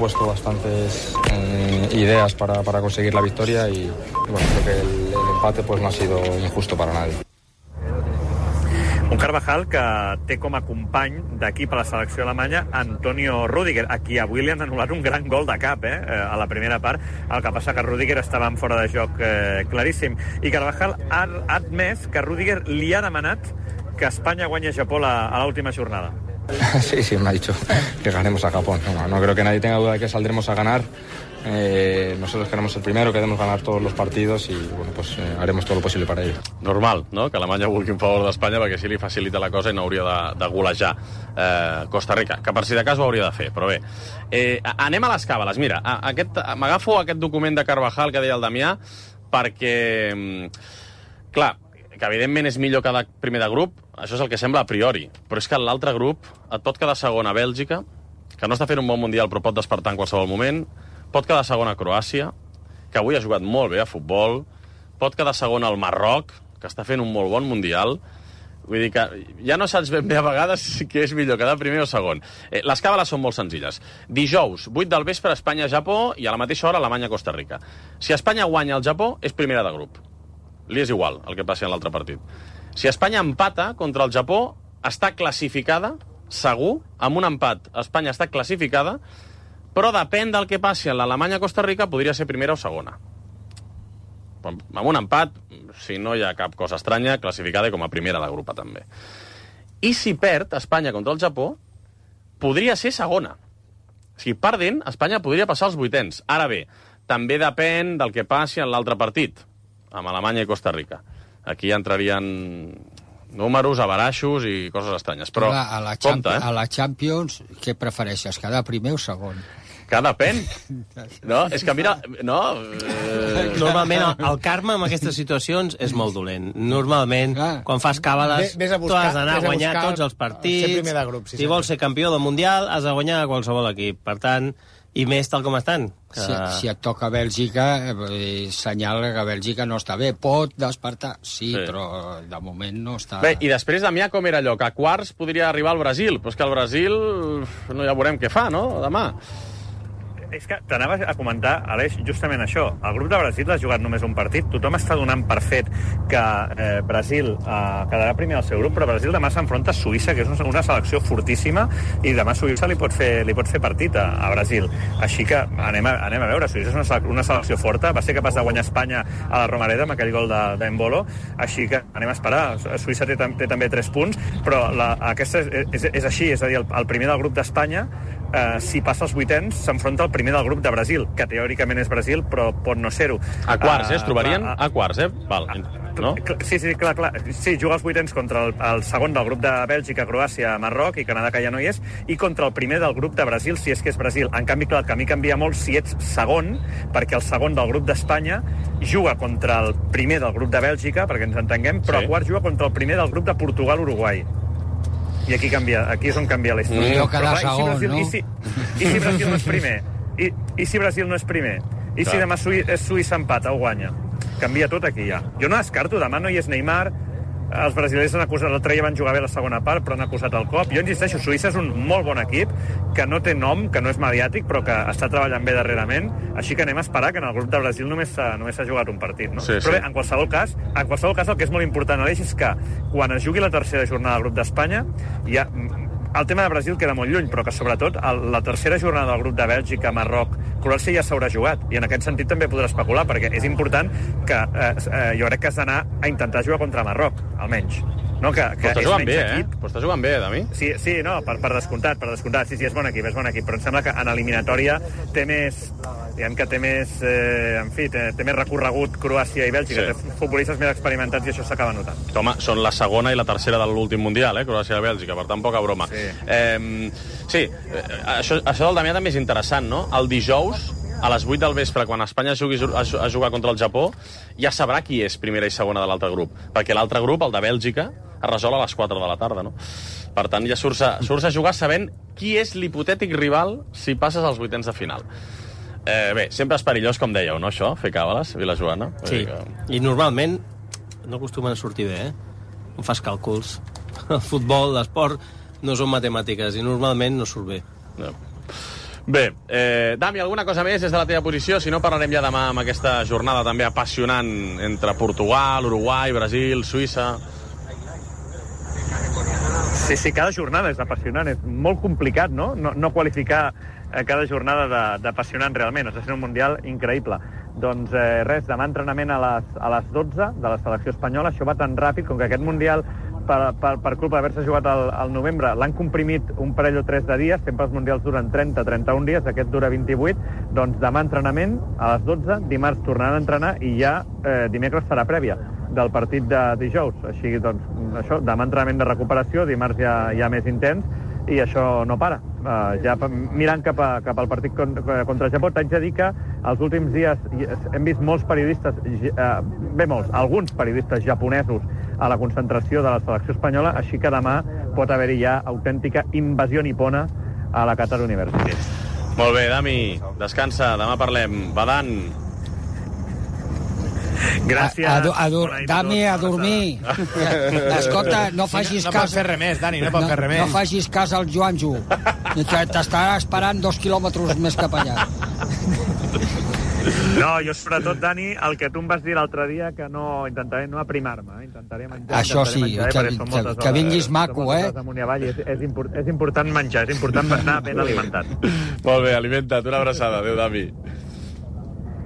propuesto bastantes ideas para conseguir la victoria y bueno, creo que el empate pues no ha sido injusto para nadie. Un Carvajal que té com a company d'equip a la selecció alemanya Antonio Rüdiger, a qui avui li han anul·lat un gran gol de cap a la primera part. El que passa que Rüdiger estava en fora de joc claríssim. I Carvajal ha admès que Rüdiger li ha demanat que Espanya guanyi a Japó a l'última jornada. Sí, me ha dicho que ganemos a Japón. No creo que nadie tenga duda de que saldremos a ganar. Nosotros queremos el primero, queremos ganar todos los partidos y bueno, pues haremos todo lo posible para ello. Normal, no?, que Alemanya vulgui en favor d'Espanya perquè així li facilita la cosa i no hauria de golejar Costa Rica, que per si de cas ho hauria de fer, però bé. Anem a les càbales. Mira, m'agafo aquest document de Carvajal que deia el Damià perquè, clar, que evidentment és millor cada primer de grup, això és el que sembla a priori, però és que l'altre grup et pot quedar segon a Bèlgica, que no està fent un bon mundial però pot despertar en qualsevol moment, pot quedar segon a Croàcia, que avui ha jugat molt bé a futbol, pot quedar segon al Marroc, que està fent un molt bon mundial. Vull dir que ja no saps ben bé a vegades què és millor, quedar primer o segon. Les càbales són molt senzilles. Dijous, 8 del vespre, Espanya-Japó, i a la mateixa hora Alemanya-Costa Rica. Si Espanya guanya el Japó, és primera de grup. Li és igual el que passi en l'altre partit. Si Espanya empata contra el Japó, està classificada, segur, amb un empat Espanya està classificada, però depèn del que passi en l'Alemanya-Costa Rica, podria ser primera o segona. Amb un empat, si no hi ha cap cosa estranya, classificada com a primera de grup també. I si perd Espanya contra el Japó, podria ser segona. O sigui, perdent, Espanya podria passar als vuitens. Ara bé, també depèn del que passi en l'altre partit, amb Alemanya i Costa Rica. Aquí entrarien números, avaraixos i coses estranyes. Però, compte, a la Champions, què prefereixes, quedar primer o segon? Que depèn. No, és que mira... No, Normalment el karma en aquestes situacions és molt dolent. Normalment, quan fas càbales, tu has d'anar a guanyar tots els partits. Si vols ser campió del Mundial, has de guanyar a qualsevol equip. Per tant, i més tal com estan. Si et toca Bèlgica, senyala que Bèlgica no està bé. Pot despertar, sí, però de moment no està... Bé, i després, Damià, com era allò? Que a quarts podria arribar al Brasil, però és que el Brasil no ja veurem què fa, no?, demà. És que t'anava a comentar, Aleix, justament això. El grup de Brasil ha jugat només un partit. Tothom està donant per fet que Brasil quedarà primer al seu grup, però Brasil demà s'enfronta a Suïssa, que és una selecció fortíssima, i demà Suïssa li pot fer partit a Brasil. Així que anem a veure. Suïssa és una selecció forta. Va ser capaç de guanyar Espanya a la Romareda amb aquell gol d'Embolo. Així que anem a esperar. Suïssa té també 3 punts, però aquesta és així. És a dir, el primer del grup d'Espanya, si passa als vuitens, s'enfronta al primer del grup de Brasil, que teòricament és Brasil, però pot no ser-ho. A quarts, es trobarien a quarts, Val, no? Sí, clar. Sí, juga als vuitens contra el segon del grup de Bèlgica, Croàcia, Marroc i Canadà, que ja no hi és, i contra el primer del grup de Brasil, si és que és Brasil. En canvi, clar, el camí canvia molt si ets segon, perquè el segon del grup d'Espanya juga contra el primer del grup de Bèlgica, perquè ens entenguem, però a quarts juga contra el primer del grup de Portugal-Uruguai. I aquí és on canvia la història. I si Brasil no és primer? I si Brasil no és primer? I si demà Suïssa empata o guanya? Canvia tot aquí ja. Jo no descarto, demà no hi és Neymar, els brasileños han acusat, l'altre dia van jugar bé la segona part, però han acusat el cop. Jo insisteixo, Suïssa és un molt bon equip, que no té nom, que no és mediàtic, però que està treballant bé darrerament, així que anem a esperar que en el grup de Brasil només s'ha jugat un partit, no? Sí. Però bé, en qualsevol cas el que és molt important, Aleix, és que quan es jugui la tercera jornada del grup d'Espanya, ja el tema de Brasil queda molt lluny, però que sobretot la tercera jornada del grup de Bèlgica, Marroc, Croàcia ja s'haurà jugat, i en aquest sentit també podrà especular, perquè és important que jo crec que has d'anar a intentar jugar contra Marroc, almenys. No, que però està jugant bé, Però està jugant bé, Dami. Sí, no, per descomptat. Sí, és bon equip, però em sembla que en eliminatòria té més... Diguem que té més... té més recorregut Croàcia i Bèlgica, té futbolistes més experimentats i això s'acaba notant. Home, són la segona i la tercera de l'últim Mundial, Croàcia i Bèlgica, per tant, poca broma. Sí, això del Damià també és interessant, no? El dijous, a les 8 del vespre, quan Espanya jugui a jugar contra el Japó, ja sabrà qui és primera i segona de l'altre grup, perquè l'altre grup, el de Bèlgica, es resol a les 4 de la tarda, no? Per tant, ja surts a jugar sabent qui és l'hipotètic rival si passes als vuitens de final. Bé, sempre és perillós, com dèieu, no, això? Fer càbales, Vilajoana? Sí, i normalment no acostumen a sortir bé, No fas càlculs. El futbol, l'esport, no són matemàtiques i normalment no surt bé. No. Bé, Dami, alguna cosa més des de la teva posició? Si no, parlarem ja demà amb aquesta jornada també apassionant entre Portugal, Uruguai, Brasil, Suïssa. Sí, cada jornada és apassionant. És molt complicat, no? No qualificar cada jornada d'apassionant realment. Està sent un mundial increïble. Doncs res, demà entrenament a les 12 de la selecció espanyola. Això va tan ràpid, com que aquest mundial, per culpa d'haver-se jugat al novembre, l'han comprimit un parell o 3 de dies. Sempre els mundials duren 30-31 dies, aquest dura 28. Doncs demà entrenament a les 12, dimarts tornaran a entrenar i ja dimecres farà prèvia del partit de dijous. Així, doncs, això, demà entrenament de recuperació, dimarts ja més intens, i això no para. Ja mirant cap al partit contra Japó, t'haig de dir que els últims dies hem vist molts periodistes, alguns periodistes japonesos a la concentració de la selecció espanyola, així que demà pot haver-hi ja autèntica invasió nipona a la Qatar University. Molt bé, Dami, descansa, demà parlem. Badan. Gràcies. Dami, a dormir. Escolta, no facis cas... No pot fer res més, Dani, no pot fer res més. No facis cas al Joanjo, que t'estarà esperant 2 quilòmetres més cap allà. No, jo sobretot, Dani, el que tu em vas dir l'altre dia, que intentaré no aprimar-me, intentaré menjar. Això sí, que vinguis maco, És important menjar, és important anar ben alimentat. Molt bé, alimenta't, una abraçada. Adéu, Dami.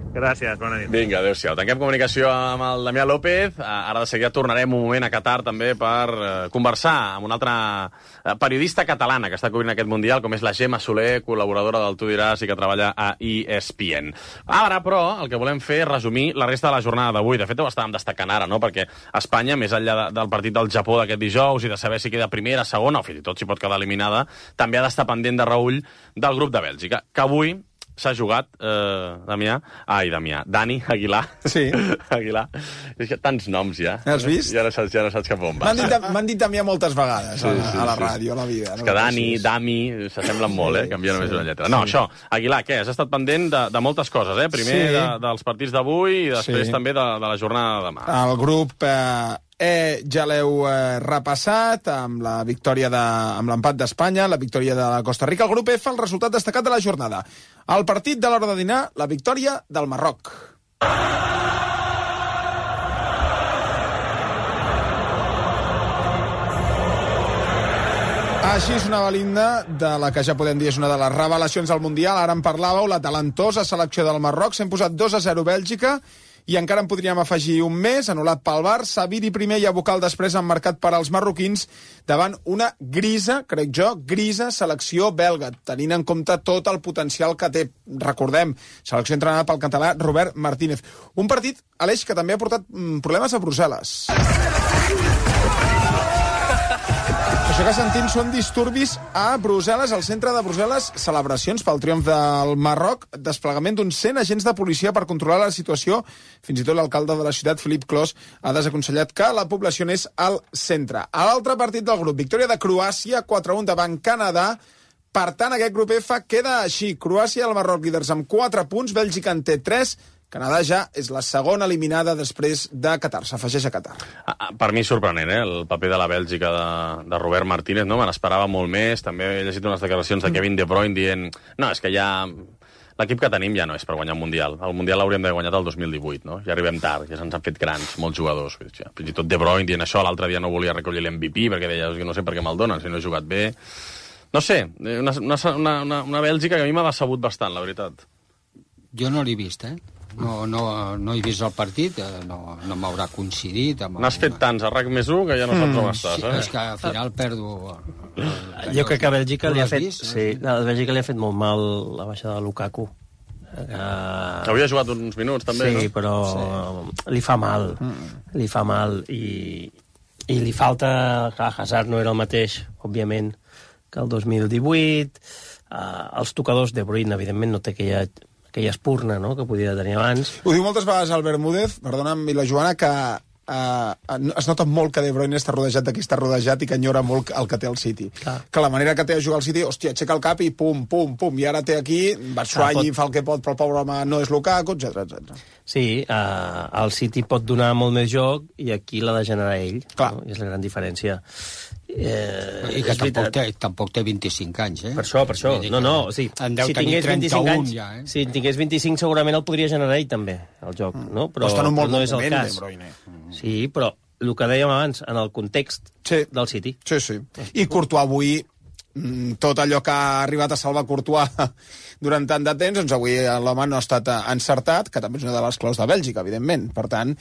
Gràcies, bona nit. Vinga, adéu-siau. Tanquem comunicació amb el Damià López. Ara de seguida tornarem un moment a Qatar també per conversar amb una altra periodista catalana que està cobrint aquest Mundial, com és la Gemma Soler, col·laboradora del Tu diràs i que treballa a ESPN. Ara, però, el que volem fer és resumir la resta de la jornada d'avui. De fet, ho estàvem destacant ara, no? Perquè Espanya, més enllà del partit del Japó d'aquest dijous i de saber si queda primera, segona o fins i tot si pot quedar eliminada, també ha d'estar pendent de reull del grup de Bèlgica, que avui s'ha jugat, Dani Aguilar. Sí. Aguilar. És que tants noms ja. Has vist? Ja no saps cap on va. M'han dit Damià moltes vegades a la ràdio, a la vida. És que Dani, Dami, s'assemblen molt, canvia només una lletra. No, això, Aguilar, què? Has estat pendent de moltes coses, Primer dels partits d'avui i després també de la jornada de demà. El grup... ja l'heu repassat amb la victòria amb l'empat d'Espanya, la victòria de la Costa Rica. El grup F, el resultat destacat de la jornada. El partit de l'hora de dinar, la victòria del Marroc. Així sonava l'himne de la que ja podem dir és una de les revelacions del Mundial. Ara en parlàveu, la talentosa selecció del Marroc. S'ha imposat 2-0 Bèlgica i encara en podríem afegir un més, anul·lat pel Bar. Saviri primer i Aboukal després han marcat per als marroquins davant una grisa, crec jo, selecció belga, tenint en compte tot el potencial que té. Recordem, selecció entrenada pel català Robert Martínez. Un partit, Aleix, que també ha portat problemes a Brussel·les. Això que sentim són disturbis a Brussel·les, al centre de Brussel·les, celebracions pel triomf del Marroc, desplegament d'uns 100 agents de policia per controlar la situació. Fins i tot l'alcalde de la ciutat, Philippe Clos, ha desaconsellat que la població anés al centre. A l'altre partit del grup, victòria de Croàcia, 4-1 davant Canadà. Per tant, aquest grup F queda així. Croàcia i el Marroc líders amb 4 punts, Bèlgica en té 3, Canadà ja és la segona eliminada després de Qatar. S'afegeix a Qatar. Per mi sorprenent, el paper de la Bèlgica de Robert Martínez, no? Me n'esperava molt més. També he llegit unes declaracions de Kevin De Bruyne dient no, és que ja... L'equip que tenim ja no és per guanyar un Mundial. El Mundial l'hauríem d'haver guanyat el 2018, no? Ja arribem tard, ja se'ns han fet grans, molts jugadors. Fins i tot De Bruyne dient això, l'altre dia no volia recollir l'MVP perquè deia que no sé per què me'l donen, si no he jugat bé. No sé, una Bèlgica que a mi m'ha decebut bastant, la veritat. Jo no l'he vist, No he vist el partit, no m'haurà coincidit. N'has fet tants a RAC+1 que ja no saps on estàs, És que al final perdo... Jo crec que a Bèlgica li ha fet... Sí, a Bèlgica li ha fet molt mal la baixada de Lukaku. Havia jugat uns minuts, també, no? Sí, però li fa mal. Li fa mal i li falta... Clar, Hazard no era el mateix, òbviament, que el 2018. Els tocadors de Bruyne, evidentment, no té aquella espurna, no?, que podia tenir abans. Ho diu moltes vegades el Bermúdez, perdona'm, i la Joana, que es nota molt que De Bruyne està rodejat de qui està rodejat i que enyora molt el que té el City. Clar. Que la manera que té de jugar al City, hòstia, aixeca el cap i pum, pum, pum, i ara té aquí, Batshuayi fa el que pot, però el pobre home no és Lukaku, etc. Sí, el City pot donar molt més joc i aquí l'ha de generar ell. Clar. No? I és la gran diferència. I que tampoc té 25 anys, Per això. O sigui, en deu tenir 31 anys, ja, si en tingués 25 segurament el podria generar ell també, el joc, no? Però està en un molt no és el moment, cas. De Bruyne. Sí, però el que dèiem abans, en el context del City. Sí. I Courtois avui, tot allò que ha arribat a salvar Courtois durant tant de temps, doncs avui l'home no ha estat encertat, que també és una de les claus de Bèlgica, evidentment. Per tant,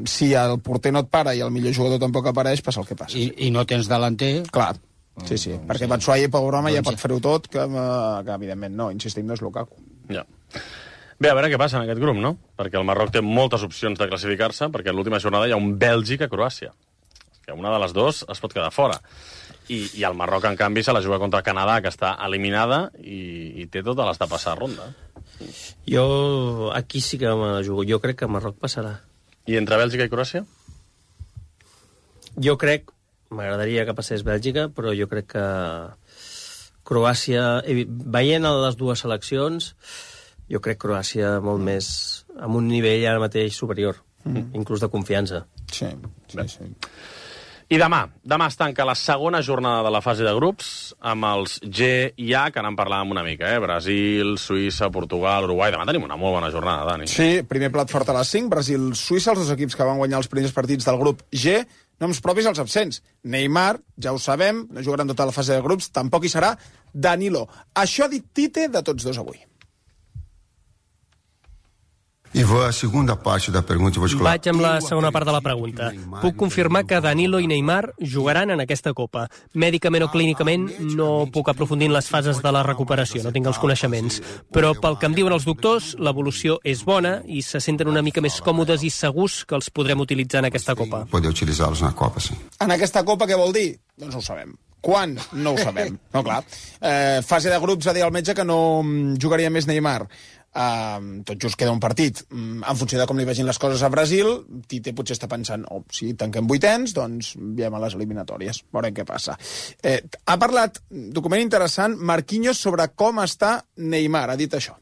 si el porter no et para i el millor jugador tampoc apareix, passa el que passa. I no tens delanter... Clar, sí, perquè Batshuayi, pobre home, ja pot fer-ho tot, que evidentment no, insistim, no és Lukaku. Ja. Bé, a veure què passa en aquest grup, no? Perquè el Marroc té moltes opcions de classificar-se, perquè a l'última jornada hi ha un Bèlgica-Croàcia. Que una de les dues es pot quedar fora. I el Marroc, en canvi, se la juga contra Canadà, que està eliminada, i té totes les de passar ronda. Jo aquí sí que me la jugo. Jo crec que Marroc passarà. I entre Bèlgica i Croàcia? Jo crec... M'agradaria que passés Bèlgica, però jo crec que Croàcia... Veient les dues seleccions, jo crec Croàcia molt més... amb un nivell ara mateix superior, inclús de confiança. Sí. I demà es tanca la segona jornada de la fase de grups amb els G i A, que n'en parlàvem una mica, Brasil, Suïssa, Portugal, Uruguai. Demà tenim una molt bona jornada, Dani. Sí, primer plat fort a les 5, Brasil-Suïssa, els dos equips que van guanyar els primers partits del grup G. Noms propis als absents. Neymar, ja ho sabem, no jugaran tota la fase de grups, tampoc hi serà Danilo. Això ha dit Tite de tots dos avui. Vaig amb la segona part de la pregunta. Puc confirmar que Danilo i Neymar jugaran en aquesta Copa. Mèdicament o clínicament no puc aprofundir en les fases de la recuperació, no tinc els coneixements. Però pel que em diuen els doctors, l'evolució és bona i se senten una mica més còmodes i segurs que els podrem utilitzar en aquesta Copa. En aquesta Copa què vol dir? Doncs no ho sabem. Quan? No ho sabem. No, clar. Fase de grups, ha dit el metge que no jugaria més Neymar. Tot just queda un partit. En funció de com li vegin les coses a Brasil, Tite potser està pensant, si tanquem vuitens, doncs veiem a les eliminatòries. Veurem què passa. Ha parlat, document interessant, Marquinhos, sobre com està Neymar. Ha dit això.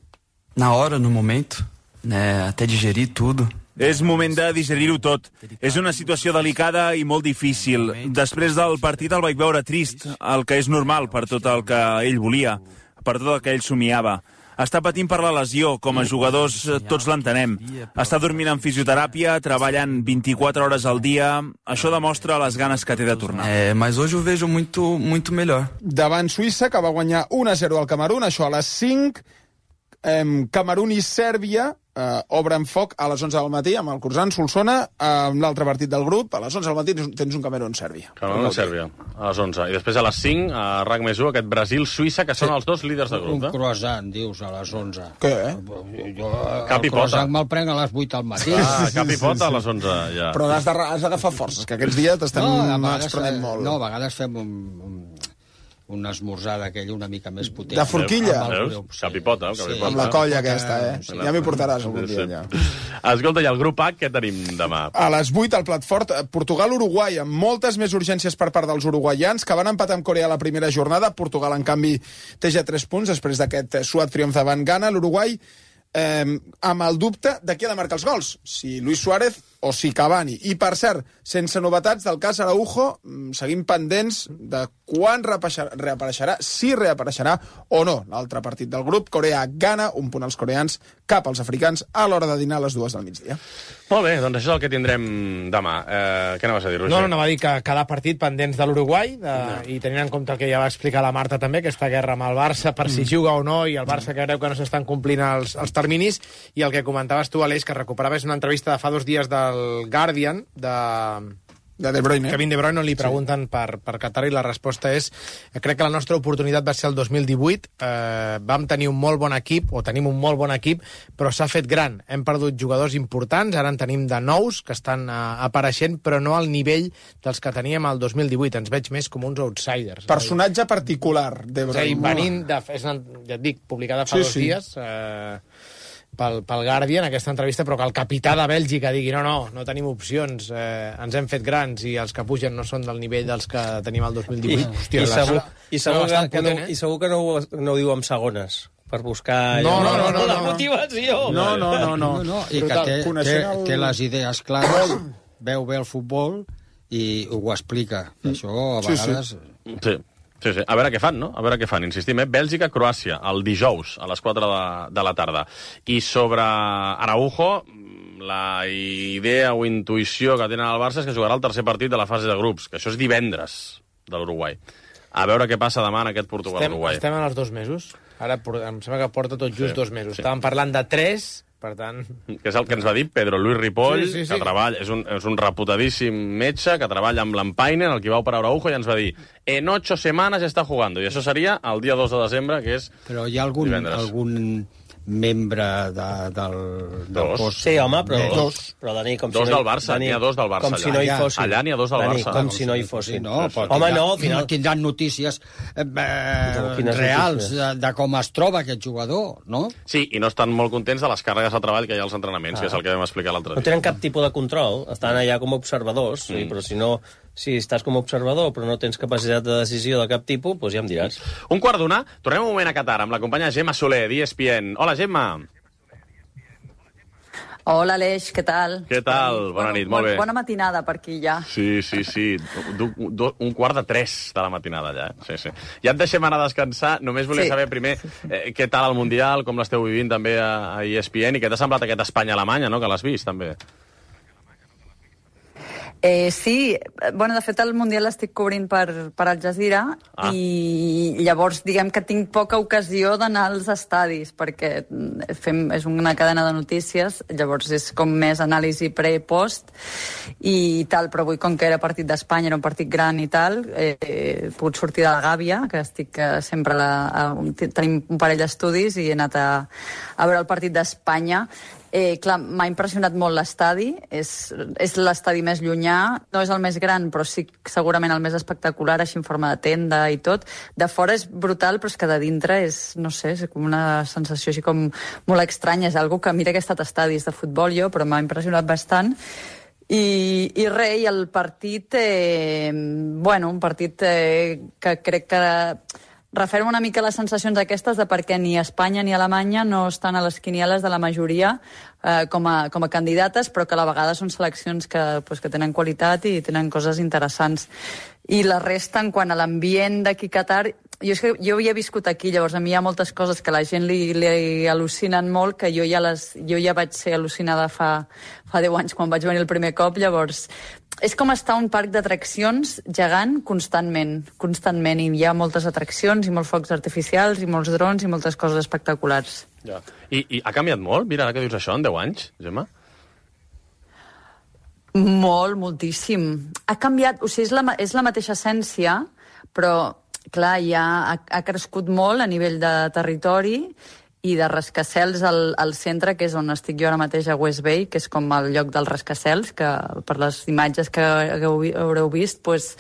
Na hora, no momento, até digerir tudo. És moment de digerir-ho tot. És una situació delicada i molt difícil. Després del partit el vaig veure trist, el que és normal per tot el que ell volia, per tot el que ell somiava. Està patint per la lesió, com a jugadors tots l'entenem. Està dormint en fisioteràpia, treballant 24 hores al dia. Això demostra les ganes que té de tornar. Mas hoje ho vejo muito melhor. Davant Suïssa, que va guanyar 1-0 al Camerun, això a les 5. Camerun i Sèrbia obren foc a les 11 del matí amb el Curzan Solsona, amb l'altre partit del grup. A les 11 del matí tens un Camerun-Sèrbia. Camerun-Sèrbia, a les 11. I després a les 5, a RAC més 1, aquest Brasil-Suïssa, que són els dos líders de grup. Un croissant, dius, a les 11. Què, Cap i pota. El croissant me'l prenc a les 8 al matí. Cap i pota a les 11, ja. Però has d'agafar forces, que aquests dies t'estem exprenent molt. No, a vegades fem un esmorzar d'aquell una mica més potent. De forquilla? Cap i pota. Amb la colla aquesta, Ja m'hi portaràs algun dia, ja. Escolta, i el grup A, què tenim demà? A les 8, al plat fort, Portugal-Uruguai, amb moltes més urgències per part dels uruguaians, que van empatar amb Corea la primera jornada. Portugal, en canvi, té ja 3 punts després d'aquest suat triomf davant Ghana. L'Uruguai, amb el dubte de qui ha de marcar els gols, si Luis Suárez o si Cavani. I, per cert, sense novetats del cas Araujo, seguim pendents de quan reapareixerà, si reapareixerà o no. L'altre partit del grup, Corea-Ghana, un punt als coreans, cap als africans, a l'hora de dinar a les 2 del migdia. Molt bé, doncs això és el que tindrem demà. Què anaves a dir, Roger? No, anava a dir que cada partit pendents de l'Uruguai, i tenint en compte el que ja va explicar la Marta també, aquesta guerra amb el Barça, per si juga o no, i el Barça que creu que no s'estan complint els terminis, i el que comentaves tu, Aleix, que recuperaves una entrevista de fa 2 dies del Guardian, de De Bruyne. Kevin De Bruyne, on li pregunten per Qatar, i la resposta és: crec que la nostra oportunitat va ser el 2018, vam tenir un molt bon equip, o tenim un molt bon equip, però s'ha fet gran, hem perdut jugadors importants, ara en tenim de nous que estan apareixent, però no al nivell dels que teníem el 2018, ens veig més com uns outsiders. Personatge particular, De Bruyne. És a dir, venint ja et dic, publicada fa 2 dies, pel Guardian, aquesta entrevista, però que el capità de Bèlgica digui no tenim opcions, ens hem fet grans i els que pugen no són del nivell dels que tenim el 2018. I segur que no ho diu amb segones per buscar la motivació. No. I que té les idees clares, veu bé el futbol i ho explica. Això, a vegades... Sí. A veure què fan, no? A veure què fan. Insistim, Bèlgica-Croàcia, el dijous, a les 4 de la tarda. I sobre Araujo, la idea o intuïció que tenen al Barça és que jugarà el tercer partit de la fase de grups, que això és divendres de l'Uruguai. A veure què passa demà en aquest Portugal-Uruguai. Estem en els 2 mesos. Ara em sembla que porta tot just 2 mesos. Estàvem parlant de 3... Per tant... Que és el que ens va dir Pedro Luis Ripoll, que treballa, és un reputadíssim metge que treballa amb l'Empainen, el que va operar Araujo, i ens va dir en 8 semanas está jugando, i això seria el dia 2 de desembre, que és Però hi ha algun membre del cos... Sí, home, però Dani, com si no... Dos del Barça, n'hi ha 2 del Barça. Com si no hi fossin. Allà n'hi ha 2 del Barça. Com si no hi fossin. Home, no, al final tindran notícies reals de com es troba aquest jugador, no? Sí, i no estan molt contents de les càrregues de treball que hi ha als entrenaments, que és el que vam explicar l'altre dia. No tenen cap tipus de control, estan allà com a observadors, però si estàs com a observador però no tens capacitat de decisió de cap tipus, doncs ja em diràs. 1:15, tornem un moment a Qatar amb la companya Gemma Soler, d'ESPN. Hola, Gemma. Hola, Aleix, què tal? Què tal? Bona nit, molt bé. Bona matinada per aquí, ja. Sí. 2:45 de la matinada, ja. Sí. Ja et deixem anar a descansar. Només volia saber primer què tal el Mundial, com l'esteu vivint també a ESPN, i què t'ha semblat aquest Espanya-Alemanya, no?, que l'has vist, també. Sí, bueno, de fet el Mundial l'estic cobrint per Al Jazeera i llavors diguem que tinc poca ocasió d'anar als estadis perquè és una cadena de notícies, llavors és com més anàlisi pre-post i tal, però avui com que era partit d'Espanya, era un partit gran i tal, he pogut sortir de la gàbia, que estic sempre tenim un parell d'estudis i he anat a veure el partit d'Espanya. Clar, m'ha impressionat molt l'estadi, és l'estadi més llunyà, no és el més gran, però sí segurament el més espectacular, així en forma de tenda i tot. De fora és brutal, però és que de dintre és, no sé, és com una sensació així com molt estranya, és algo que mira que he estat a estadis de futbol jo, però m'ha impressionat bastant. I res, i el partit, un partit que crec que referma una mica les sensacions aquestes de per què ni Espanya ni Alemanya no estan a les quinieles de la majoria com a candidates, però que a la vegada són seleccions que tenen qualitat i tenen coses interessants. I la resta, en quant a l'ambient d'aquí a Qatar, jo havia viscut aquí, llavors a mi hi ha moltes coses que a la gent li al·lucinen molt, que jo ja vaig ser al·lucinada fa 10 anys quan vaig venir el primer cop, llavors és com estar a un parc d'atraccions gegant constantment, i hi ha moltes atraccions i molts focs artificials i molts drons i moltes coses espectaculars. Ja. I ha canviat molt? Mira, ara que dius això, en 10 anys, Gemma? Moltíssim. Ha canviat, o sigui, és la mateixa essència, però, clar, ja ha crescut molt a nivell de territori i de rascacels al centre, que és on estic jo ara mateix a West Bay, que és com el lloc dels rascacels, que per les imatges que haureu vist, doncs,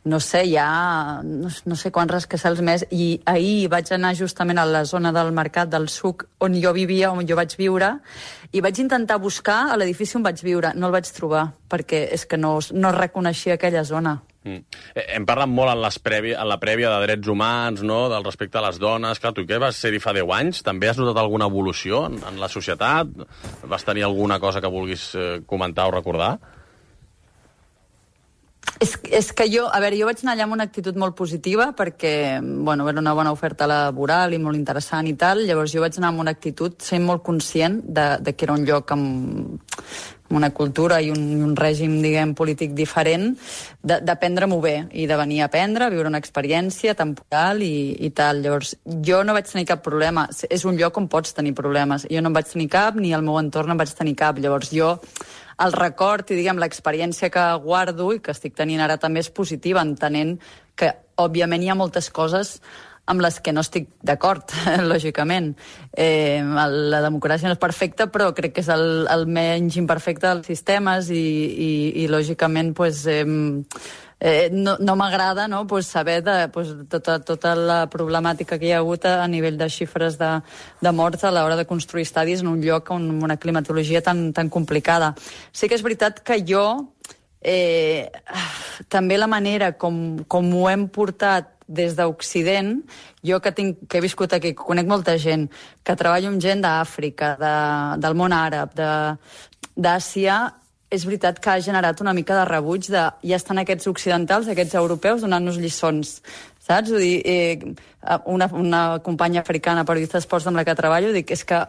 no sé, hi ha no sé quants rascacels més, i ahir vaig anar justament a la zona del mercat del Souk, on jo vivia, on jo vaig viure, i vaig intentar buscar a l'edifici on vaig viure. No el vaig trobar, perquè és que no reconeixia aquella zona. Hem parlat molt en la prèvia de drets humans, no?, del respecte a les dones. Clar, tu què vas ser-hi fa 10 anys? També has notat alguna evolució en la societat? Vas tenir alguna cosa que vulguis comentar o recordar? És que jo vaig anar allà amb una actitud molt positiva perquè, bueno, era una bona oferta laboral i molt interessant i tal, llavors jo vaig anar amb una actitud sent molt conscient de que era un lloc amb una cultura i un règim, diguem, polític diferent, d'aprendre-m'ho bé i de venir a aprendre, a viure una experiència temporal i tal. Llavors, jo no vaig tenir cap problema. És un lloc on pots tenir problemes. Jo no en vaig tenir cap, ni al meu entorn en vaig tenir cap. Llavors, jo el record i, diguem, l'experiència que guardo i que estic tenint ara també és positiva, entenent que, òbviament, hi ha moltes coses amb les que no estic d'acord, lògicament. La democràcia no és perfecta, però crec que és el menys imperfecte dels sistemes i lògicament, no m'agrada, no, saber tota la problemàtica que hi ha hagut a nivell de xifres de morts a l'hora de construir estadis en un lloc amb una climatologia tan complicada. Sí que és veritat que jo també la manera com ho hem portat des d'Occident, jo que he viscut aquí, que conec molta gent, que treballo amb gent d'Àfrica, del món àrab, d'Àsia, és veritat que ha generat una mica de rebuig de ja estan aquests occidentals, aquests europeus, donant-nos lliçons, saps? Vull dir, una companya africana, periodista d'esports amb la que treballo, dic, és que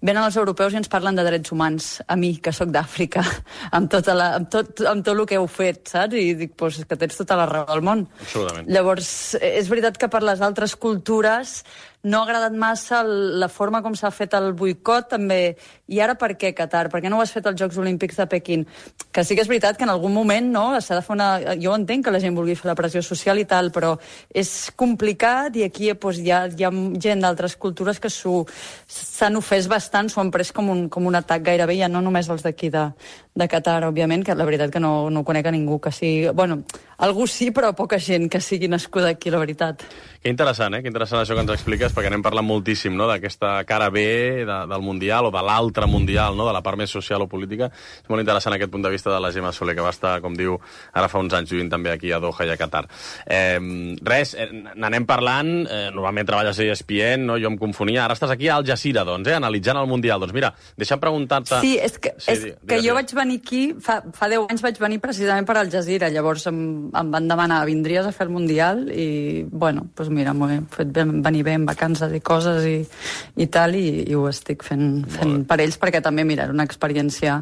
venen els europeus i ens parlen de drets humans, a mi, que sóc d'Àfrica, amb tot el que heu fet, saps? I dic, pues, que tens tota la raó del món. Absolutament. Llavors, és veritat que per les altres cultures no ha agradat massa la forma com s'ha fet el boicot, també. I ara per què, Qatar? Per què no ho has fet als Jocs Olímpics de Pequín? Que sí que és veritat que en algun moment, no, s'ha de fer una... Jo entenc que la gent vulgui fer la pressió social i tal, però és complicat i aquí doncs, hi ha gent d'altres cultures que s'han ofès bastant, s'ho han pres com un atac gairebé, ja no només els d'aquí de Qatar, òbviament, que la veritat que no conec a ningú que sigui... Bueno, algú sí, però poca gent que sigui nascuda aquí, la veritat. Que interessant, Que interessant això que ens expliques, perquè anem parlant moltíssim, no?, d'aquesta cara B del Mundial o de l'altre Mundial, no?, de la part més social o política. És molt interessant aquest punt de vista de la Gemma Soler, que va estar, com diu, ara fa uns anys vivint també aquí a Doha i a Qatar. N'anem parlant, normalment treballes a ESPN, no?, jo em confonia, ara estàs aquí a Al Jazeera, doncs, analitzant el Mundial. Doncs mira, deixa'm preguntar-te... Sí, és que jo vaig venir aquí, fa 10 anys vaig venir precisament per Al Jazeera, llavors em van demanar, vindries a fer el Mundial? I, bueno, doncs mira, m'ho he fet venir bé en vacances i coses i tal, i ho estic fent per ells, perquè també, mira, era una experiència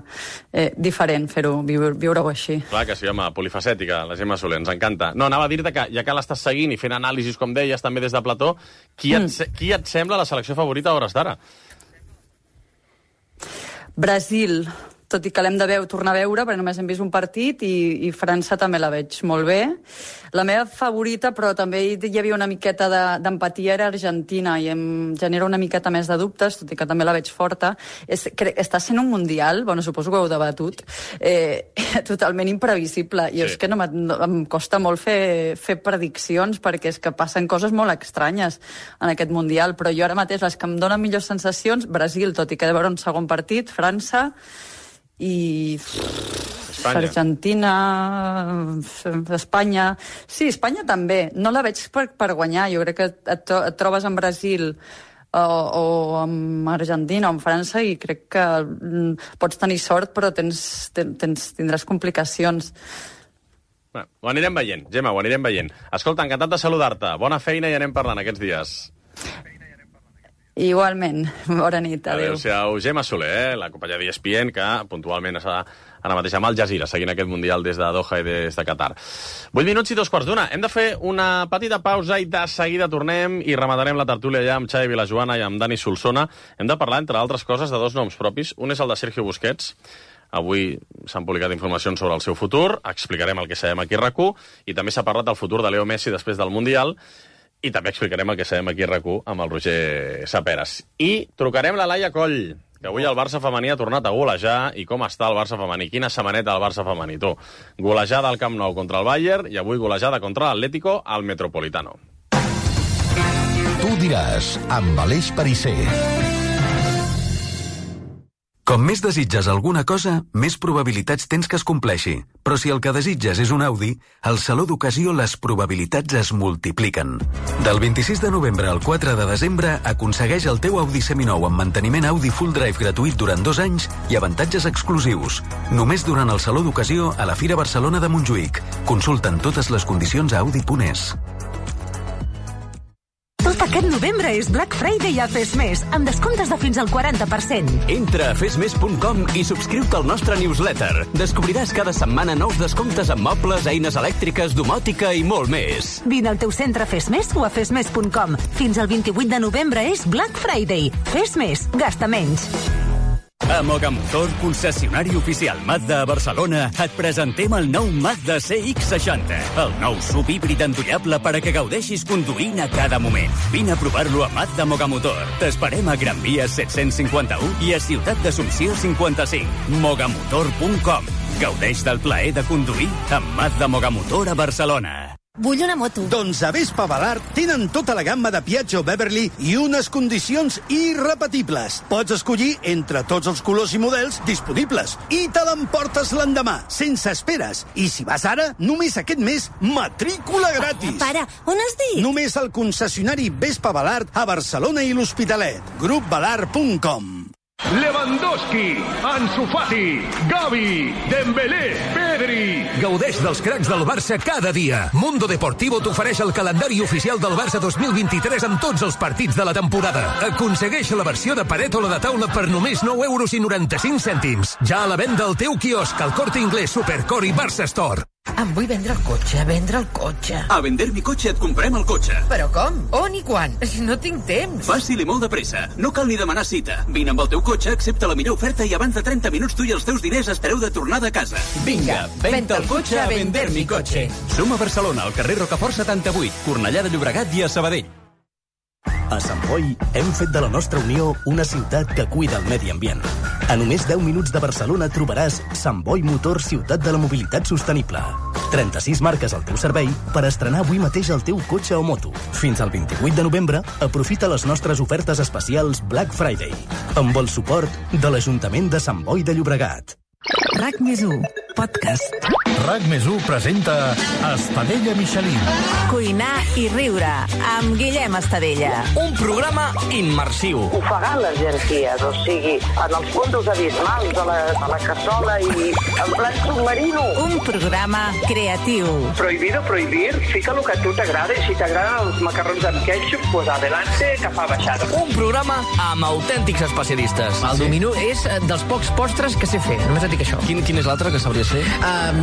diferent fer-ho, viure-ho així. Clar que sí, home, polifacètica, la Gemma Soler, ens encanta. No, anava a dir-te que, ja que l'estàs seguint i fent anàlisis, com deies, també des de plató, qui et sembla la selecció favorita a hores d'ara? Brasil, tot i que l'hem de tornar a veure, perquè només hem vist un partit, i França també la veig molt bé. La meva favorita, però també hi havia una miqueta d'empatia, era Argentina, i em genera una miqueta més de dubtes, tot i que també la veig forta. Està sent un Mundial, bueno, suposo que ho heu debatut, totalment imprevisible, i és que em costa molt fer prediccions, perquè és que passen coses molt estranyes en aquest Mundial, però jo ara mateix les que em donen millors sensacions, Brasil, tot i que he de veure un segon partit, França, i Argentina, Espanya... Sí, Espanya també. No la veig per guanyar. Jo crec que et trobes en Brasil o amb Argentina o amb França i crec que pots tenir sort, però tindràs complicacions. Bé, ho anirem veient, Gemma, ho anirem veient. Escolta, encantat de saludar-te. Bona feina i anem parlant aquests dies. Igualment. Bona nit, adéu. Adéu-siau. Gemma Soler, la companya d'ESPN, que puntualment està ara mateix amb Al Jazeera, seguint aquest Mundial des de Doha i des de Qatar. 8 minuts i 2:15. Hem de fer una petita pausa i de seguida tornem i rematarem la tertúlia ja amb Xavi Vilajoana i amb Dani Solsona. Hem de parlar, entre altres coses, de dos noms propis. Un és el de Sergio Busquets. Avui s'han publicat informacions sobre el seu futur, explicarem el que sabem aquí a RAC1, i també s'ha parlat del futur de Leo Messi després del Mundial, i també explicarem el que sabem aquí a RAC1 amb el Roger Saperas. I trucarem la Laia Coll, que avui el Barça femení ha tornat a golejar. I com està el Barça femení? Quina setmaneta el Barça femení, tu? Golejada al Camp Nou contra el Bayern i avui golejada contra l'Atlético al Metropolitano. Tu diràs, amb Aleix Perisser. Com més desitges alguna cosa, més probabilitats tens que es compleixi. Però si el que desitges és un Audi, al Saló d'Ocasió les probabilitats es multipliquen. Del 26 de novembre al 4 de desembre, aconsegueix el teu Audi seminou amb manteniment Audi Full Drive gratuït durant 2 anys i avantatges exclusius. Només durant el Saló d'Ocasió a la Fira Barcelona de Montjuïc. Consulta'n totes les condicions a Audi.es. Tot aquest novembre és Black Friday a Fesmés, amb descomptes de fins al 40%. Entra a fesmes.com i subscriu-te al nostre newsletter. Descobriràs cada setmana nous descomptes en mobles, eines elèctriques, domòtica i molt més. Vine al teu centre Fesmés o a fesmes.com. Fins al 28 de novembre és Black Friday. Fesmés, gasta menys. A Mogamotor, concessionari oficial Mazda a Barcelona, et presentem el nou Mazda CX-60, el nou subhíbrid endollable per a que gaudeixis conduint a cada moment. Vine a provar-lo a Mazda Mogamotor. T'esperem a Gran Via 751 i a Ciutat d'Assumpció 55. Mogamotor.com. Gaudeix del plaer de conduir amb Mazda Mogamotor a Barcelona. Vull una moto. Doncs a Vespa Balart tenen tota la gamma de Piaggio Beverly i unes condicions irrepetibles. Pots escollir entre tots els colors i models disponibles i te l'emportes l'endemà, sense esperes. I si vas ara, només aquest mes, matrícula gratis. Para, on has dit? Només al concessionari Vespa Balart a Barcelona i l'Hospitalet. Grupbalart.com. Lewandowski, Ansu Fati, Gavi, Dembélé, Pedri... Gaudeix dels cracs del Barça cada dia. Mundo Deportivo t'ofereix el calendari oficial del Barça 2023 amb tots els partits de la temporada. Aconsegueix la versió de paret o la de taula per només 9,95 €. Ja a la venda al teu quiosc, al Corte Inglés, Supercore i Barça Store. Em vull vendre el cotxe. A Vender mi cotxe et comprem el cotxe. Però com? On i quan? No tinc temps. Fàcil i molt de pressa. No cal ni demanar cita. Vine amb el teu cotxe, accepta la millor oferta i abans de 30 minuts tu i els teus diners espereu de tornada a casa. Vinga, venta el cotxe a Vender mi cotxe. Som a Barcelona, al carrer Rocafort 78, Cornellà de Llobregat i a Sabadell. A Sant Boi hem fet de la nostra Unió una ciutat que cuida el medi ambient. A només 10 minuts de Barcelona trobaràs Sant Boi Motor Ciutat de la Mobilitat Sostenible. 36 marques al teu servei per estrenar avui mateix el teu cotxe o moto. Fins al 28 de novembre, aprofita les nostres ofertes especials Black Friday, amb el suport de l'Ajuntament de Sant Boi de Llobregat. RAC+1, podcast. RAC+1 presenta Estadella Michelin. Cuinar i riure, amb Guillem Estadella. Un programa immersiu. Ofegar les jerarquies, o sigui, en els fondos abismals de la cassola i en plan submarino. Un programa creatiu. Prohibido prohibir, fica el que a tu t'agrada, i si t'agraden els macarrons amb ketchup, pues adelante, que fa baixada. Un programa amb autèntics especialistes. El dominó és dels pocs postres que sé fer, només et dic això. Quin és l'altre que sabries fer?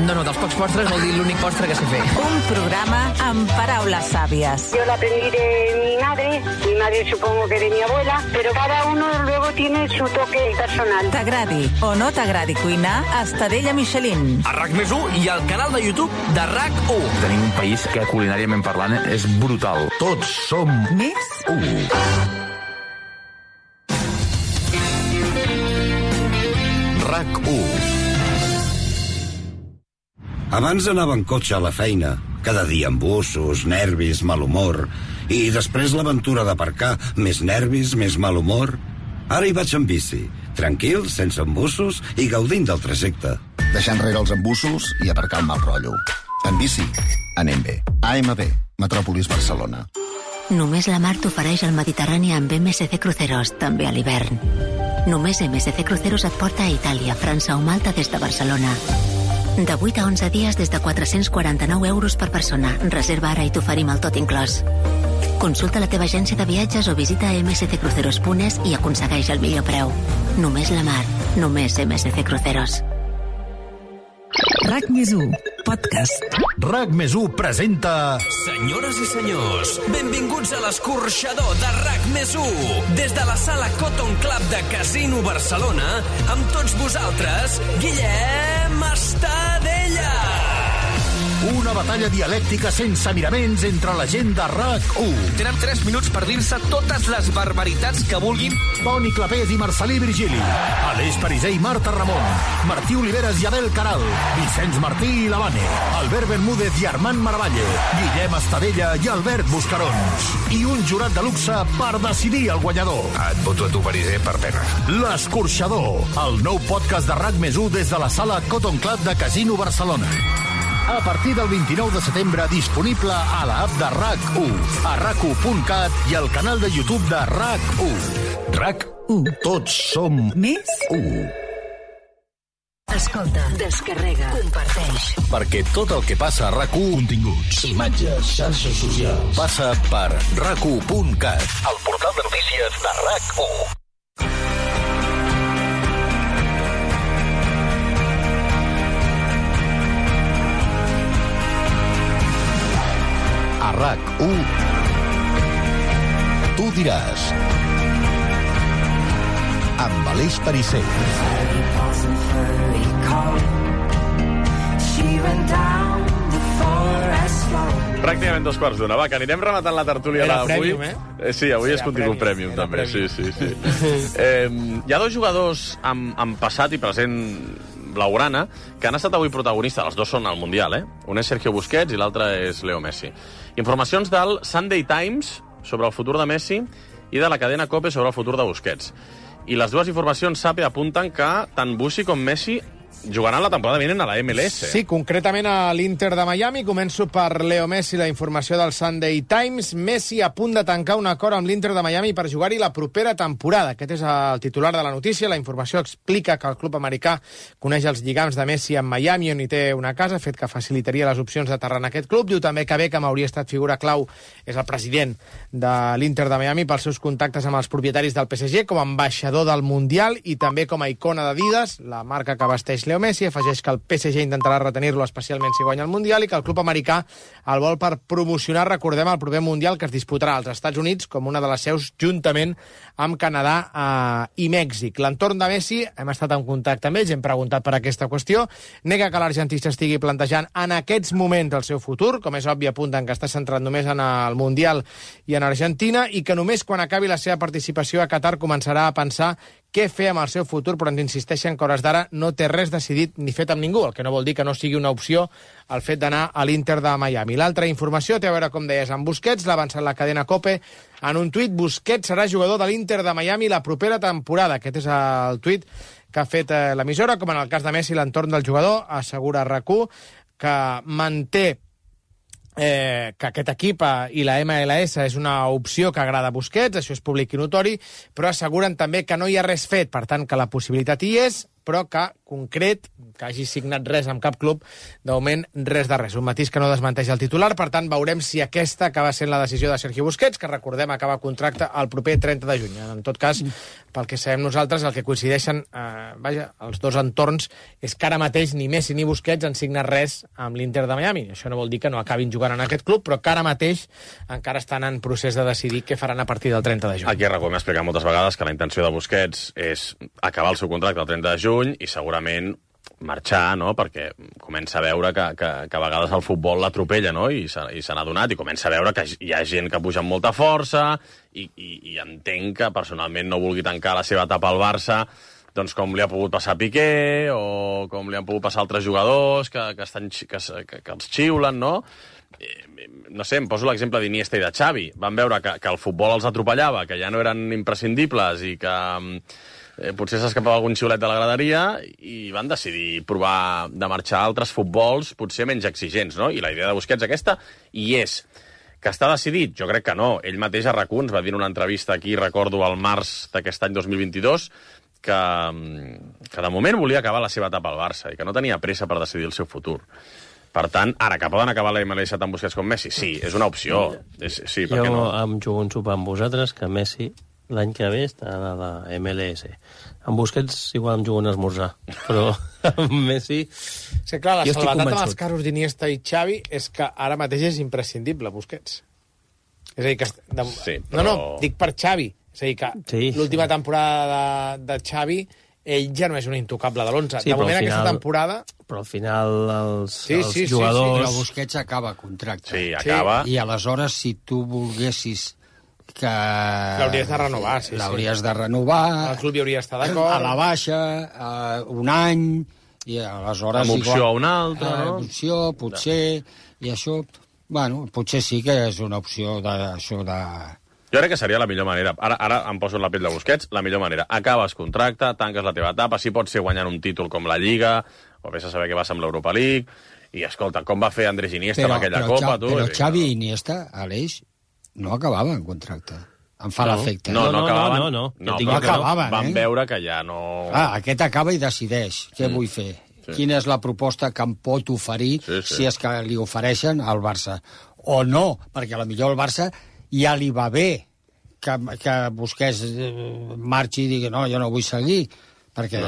No, dels pocs postres vol dir l'únic postre que sé fer. Un programa amb paraules sàvies. Yo la aprendí de mi madre supongo que de mi abuela, pero cada uno luego tiene su toque personal. T'agradi o no t'agradi cuinar, Estadella Michelin. A RAC+1 i al canal de YouTube de RAC1. Tenim un país que culinàriament parlant és brutal. Tots som més 1. RAC1. Abans anava en cotxe a la feina, cada dia amb bussos, nervis, mal humor, i després l'aventura d'aparcar, més nervis, més mal humor. Ara hi vaig en bici, tranquil, sense embussos i gaudint del trajecte. Deixar enrere els embussos i aparcar el mal rotllo. En bici, anem bé. AMB, Metròpolis Barcelona. Només la mar t'ofereix el Mediterrani amb MSC Cruceros, també a l'hivern. Només MSC Cruceros et porta a Itàlia, França o Malta des de Barcelona. De 8 a 11 dies des de 449 € per persona. Reserva ara i t'oferim el tot inclòs. Consulta la teva agència de viatges o visita msccruceros.es i aconsegueix el millor preu. Només la mar, només MSC Cruceros. RAC+1, podcast. RAC+1 presenta... Senyores i senyors, benvinguts a l'escorxador de RAC+1. Des de la sala Cotton Club de Casino Barcelona, amb tots vosaltres, Guillem Estadella. Una batalla dialèctica sense miraments entre la gent de RAC1. Tenen 3 minuts per dir-se totes les barbaritats que vulguin. Toni Clapés i Marcelí Virgili. Aleix Pariser i Marta Ramon. Martí Oliveres i Adel Caral. Vicenç Martí i Lavane. Albert Bermúdez i Armand Maravalle. Guillem Estadella i Albert Buscarons. I un jurat de luxe per decidir el guanyador. Et voto a tu, Pariser, per pena. L'escorxador. El nou podcast de RAC+1 des de la sala Cotton Club de Casino Barcelona. A partir del 29 de setembre, disponible a l'app de RAC1, a RAC1.cat i al canal de YouTube de RAC1. RAC1. Tots som més 1. Escolta, descarrega, comparteix. Perquè tot el que passa a RAC1... Continguts, imatges, xarxes socials... Passa per RAC1.cat, el portal de notícies de RAC1. A RAC1, tu diràs, amb Aleix Pariser. Pràcticament 2:15. Va, que anirem rematant la tertúlia d'avui. Sí, avui és contingut Premium, també. Sí. Hi ha dos jugadors amb passat i present blaugrana que han estat avui protagonistes. Els dos són al Mundial, Un és Sergio Busquets i l'altre és Leo Messi. Informacions del Sunday Times sobre el futur de Messi i de la cadena COPE sobre el futur de Busquets. I les dues informacions SAPE apunten que tant Bussi com Messi jugaran la temporada vinent a la MLS. Sí, concretament a l'Inter de Miami. Començo per Leo Messi, la informació del Sunday Times. Messi a punt de tancar un acord amb l'Inter de Miami per jugar-hi la propera temporada. Aquest és el titular de la notícia. La informació explica que el club americà coneix els lligams de Messi en Miami, on hi té una casa, fet que facilitaria les opcions d'aterrar en aquest club. Diu també que Beckham hauria estat figura clau, és el president de l'Inter de Miami, pels seus contactes amb els propietaris del PSG, com a ambaixador del Mundial i també com a icona d'Adidas, la marca que vesteix Leo Messi. Afegeix que el PSG intentarà retenir-lo especialment si guanya el Mundial i que el club americà el vol per promocionar, recordem, el proper Mundial que es disputarà als Estats Units com una de les seus juntament amb Canadà i Mèxic. L'entorn de Messi, hem estat en contacte amb ells, hem preguntat per aquesta qüestió, nega que l'argentista estigui plantejant en aquests moments el seu futur, com és obvi apunten que està centrat només en el Mundial i en Argentina, i que només quan acabi la seva participació a Qatar començarà a pensar què fer amb el seu futur, però ens insisteixen que hores d'ara no té res decidit ni fet amb ningú, el que no vol dir que no sigui una opció el fet d'anar a l'Inter de Miami. L'altra informació té a veure, com deies, amb Busquets, l'ha avançat la cadena COPE en un tuit. Busquets serà jugador de l'Inter de Miami la propera temporada. Aquest és el tuit que ha fet l'emissora, com en el cas de Messi, l'entorn del jugador, assegura RAC1, que manté que aquest equip i la MLS és una opció que agrada a Busquets, això és públic i notori, però asseguren també que no hi ha res fet, per tant que la possibilitat hi és, però que, concret, que hagi signat res amb cap club, de moment res de res. Un matís que no desmenteix el titular, per tant veurem si aquesta acaba sent la decisió de Sergio Busquets, que recordem acaba contracte el proper 30 de juny. En tot cas, pel que sabem nosaltres, el que coincideixen els dos entorns és que ara mateix ni Messi ni Busquets han signat res amb l'Inter de Miami. Això no vol dir que no acabin jugant en aquest club, però que ara mateix encara estan en procés de decidir què faran a partir del 30 de juny. Aquí hem explicat moltes vegades que la intenció de Busquets és acabar el seu contracte el 30 de juny i segurament marxar, no? Perquè comença a veure que a vegades el futbol l'atropella, no? I se n'ha adonat, i comença a veure que hi ha gent que puja amb molta força i entenc que personalment no vulgui tancar la seva etapa al Barça, doncs com li ha pogut passar a Piqué o com li han pogut passar altres jugadors que els xiulen, no? No sé, em poso l'exemple d'Iniesta i de Xavi. Van veure que el futbol els atropellava, que ja no eren imprescindibles i que potser s'escapava algun xiulet de la graderia i van decidir provar de marxar a altres futbols potser menys exigents, no? I la idea de Busquets aquesta hi és. Que està decidit? Jo crec que no. Ell mateix a RAC1 ens va dir en una entrevista aquí, recordo, al març d'aquest any 2022, que de moment volia acabar la seva etapa al Barça i que no tenia pressa per decidir el seu futur. Per tant, ara, que poden acabar la MLS tant Busquets com Messi? Sí, és una opció. Sí, per què no? Jo em jugo un sopar amb vosaltres que Messi l'any que ve està a la MLS. Amb Busquets igual em jugo un esmorzar, però amb Messi... Sí, clar, la salvetat amb els casos d'Iniesta i Xavi és que ara mateix és imprescindible, Busquets. És a dir, que... Sí, però... No, dic per Xavi. És a dir, que l'última temporada de Xavi, ell ja no és un intocable de l'11. Sí, de moment, final, aquesta temporada... Però al final els jugadors... Però Busquets acaba contracte. Sí, acaba. I aleshores, si tu volguessis que... L'hauries de renovar, sí. L'hauries de renovar. El club hi hauria d'estar d'acord. A la baixa, un any, i aleshores... Amb opció a una altra, no? Opció, potser, i això... Bueno, potser sí que és una opció d'això de... Jo crec que seria la millor manera. Ara em poso en la pell de Busquets, la millor manera. Acabes contracte, tanques la teva etapa, si pot ser guanyant un títol com la Lliga, o vés a saber què va amb l'Europa League, i escolta, com va fer Andrés Iniesta amb aquella Copa, tu? Però Xavi i Iniesta, Aleix, no acabaven contracte. Em fa l'efecte. No acabaven. No acabaven, Van veure que ja no... Aquest acaba i decideix què vull fer. Sí. Quina és la proposta que em pot oferir si és que li ofereixen al Barça. O no, perquè potser al Barça ja li va bé que Busquets marxi i digui no, jo no vull seguir. Perquè,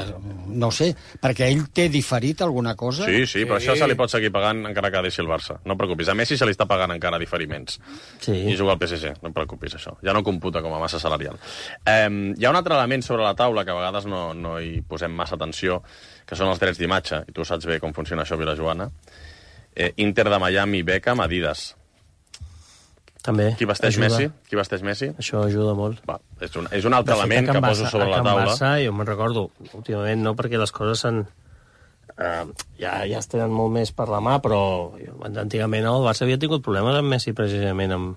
no sé, perquè ell té diferit alguna cosa? Sí, però això se li pot seguir pagant encara que deixi el Barça. No et preocupis, a Messi se li està pagant encara diferiments. I juga al PSG, no et preocupis, això. Ja no computa com a massa salarial. Hi ha un altre element sobre la taula que a vegades no hi posem massa atenció, que són els drets d'imatge, i tu saps bé com funciona això, Vilajoana. Inter de Miami, Beckham, Adidas. També. Qui vesteix Messi? Això ajuda molt. Va, és un altre element que poso sobre la taula. Barça, jo me'n recordo, últimament no, perquè les coses ja es tenen molt més per la mà, però antigament el Barça havia tingut problemes amb Messi precisament amb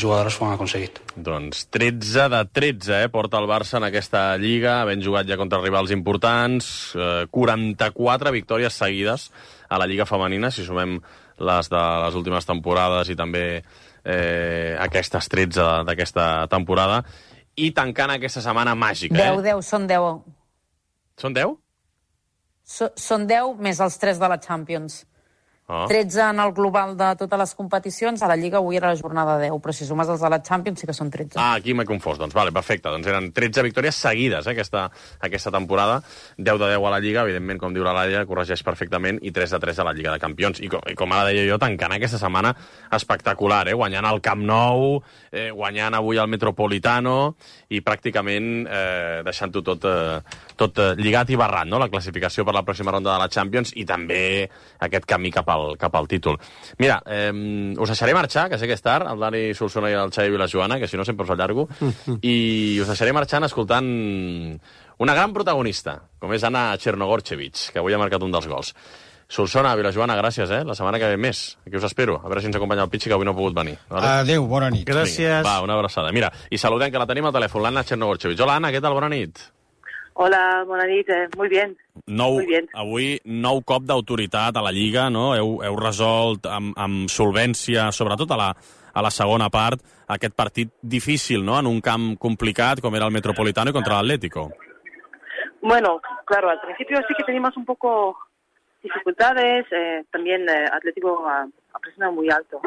jugadores ho han aconseguit. Doncs 13 de 13, porta el Barça en aquesta Lliga, havent jugat ja contra rivals importants, 44 victòries seguides a la Lliga femenina, si sumem les de les últimes temporades i també aquestes 13 d'aquesta temporada, i tancant aquesta setmana màgica. 10, són 10. Són 10? Són 10 més els 3 de la Champions. 13 en el global de totes les competicions, a la Lliga avui era la jornada 10, però si sumes els de la Champions sí que són 13. Aquí m'he confós, doncs vale, perfecte. Doncs eren 13 victòries seguides aquesta temporada, 10 de 10 a la Lliga, evidentment, com diu la Laia, corregeix perfectament, i 3 de 3 a la Lliga de Campions. I com ara deia jo, tancant aquesta setmana espectacular, guanyant el Camp Nou, guanyant avui el Metropolitano, i pràcticament deixant-ho tot lligat i barrat, no? La classificació per la pròxima ronda de la Champions i també aquest camí cap al títol. Mira, us deixaré marxar, que sé que és tard, el Dani Solsona i el Xavi i la Joana, que si no sempre us allargo, i us deixaré marxant escoltant una gran protagonista, com és Anna Chernogorchevich, que avui ha marcat un dels gols. Solsona, Vilajoana, gràcies, La setmana que ve més. Aquí us espero. A veure si ens acompanya el Pichi, que avui no ha pogut venir. Vale? Adéu, bona nit. Gràcies. Va, una abraçada. Mira, i saludem, que la tenim al telèfon, l'Anna Chernogorchevich. Hola, Anna, què tal? Bona nit. Hola, bona nit. Muy bien. Muy bien. Avui, nou cop d'autoritat a la Lliga, no? Heu resolt amb solvència, sobretot a la segona part, aquest partit difícil, no? En un camp complicat, com era el Metropolitano y contra el Atlético. Bueno, claro, al principio sí que teníamos un poco dificultades. También Atlético ha presionado muy alto.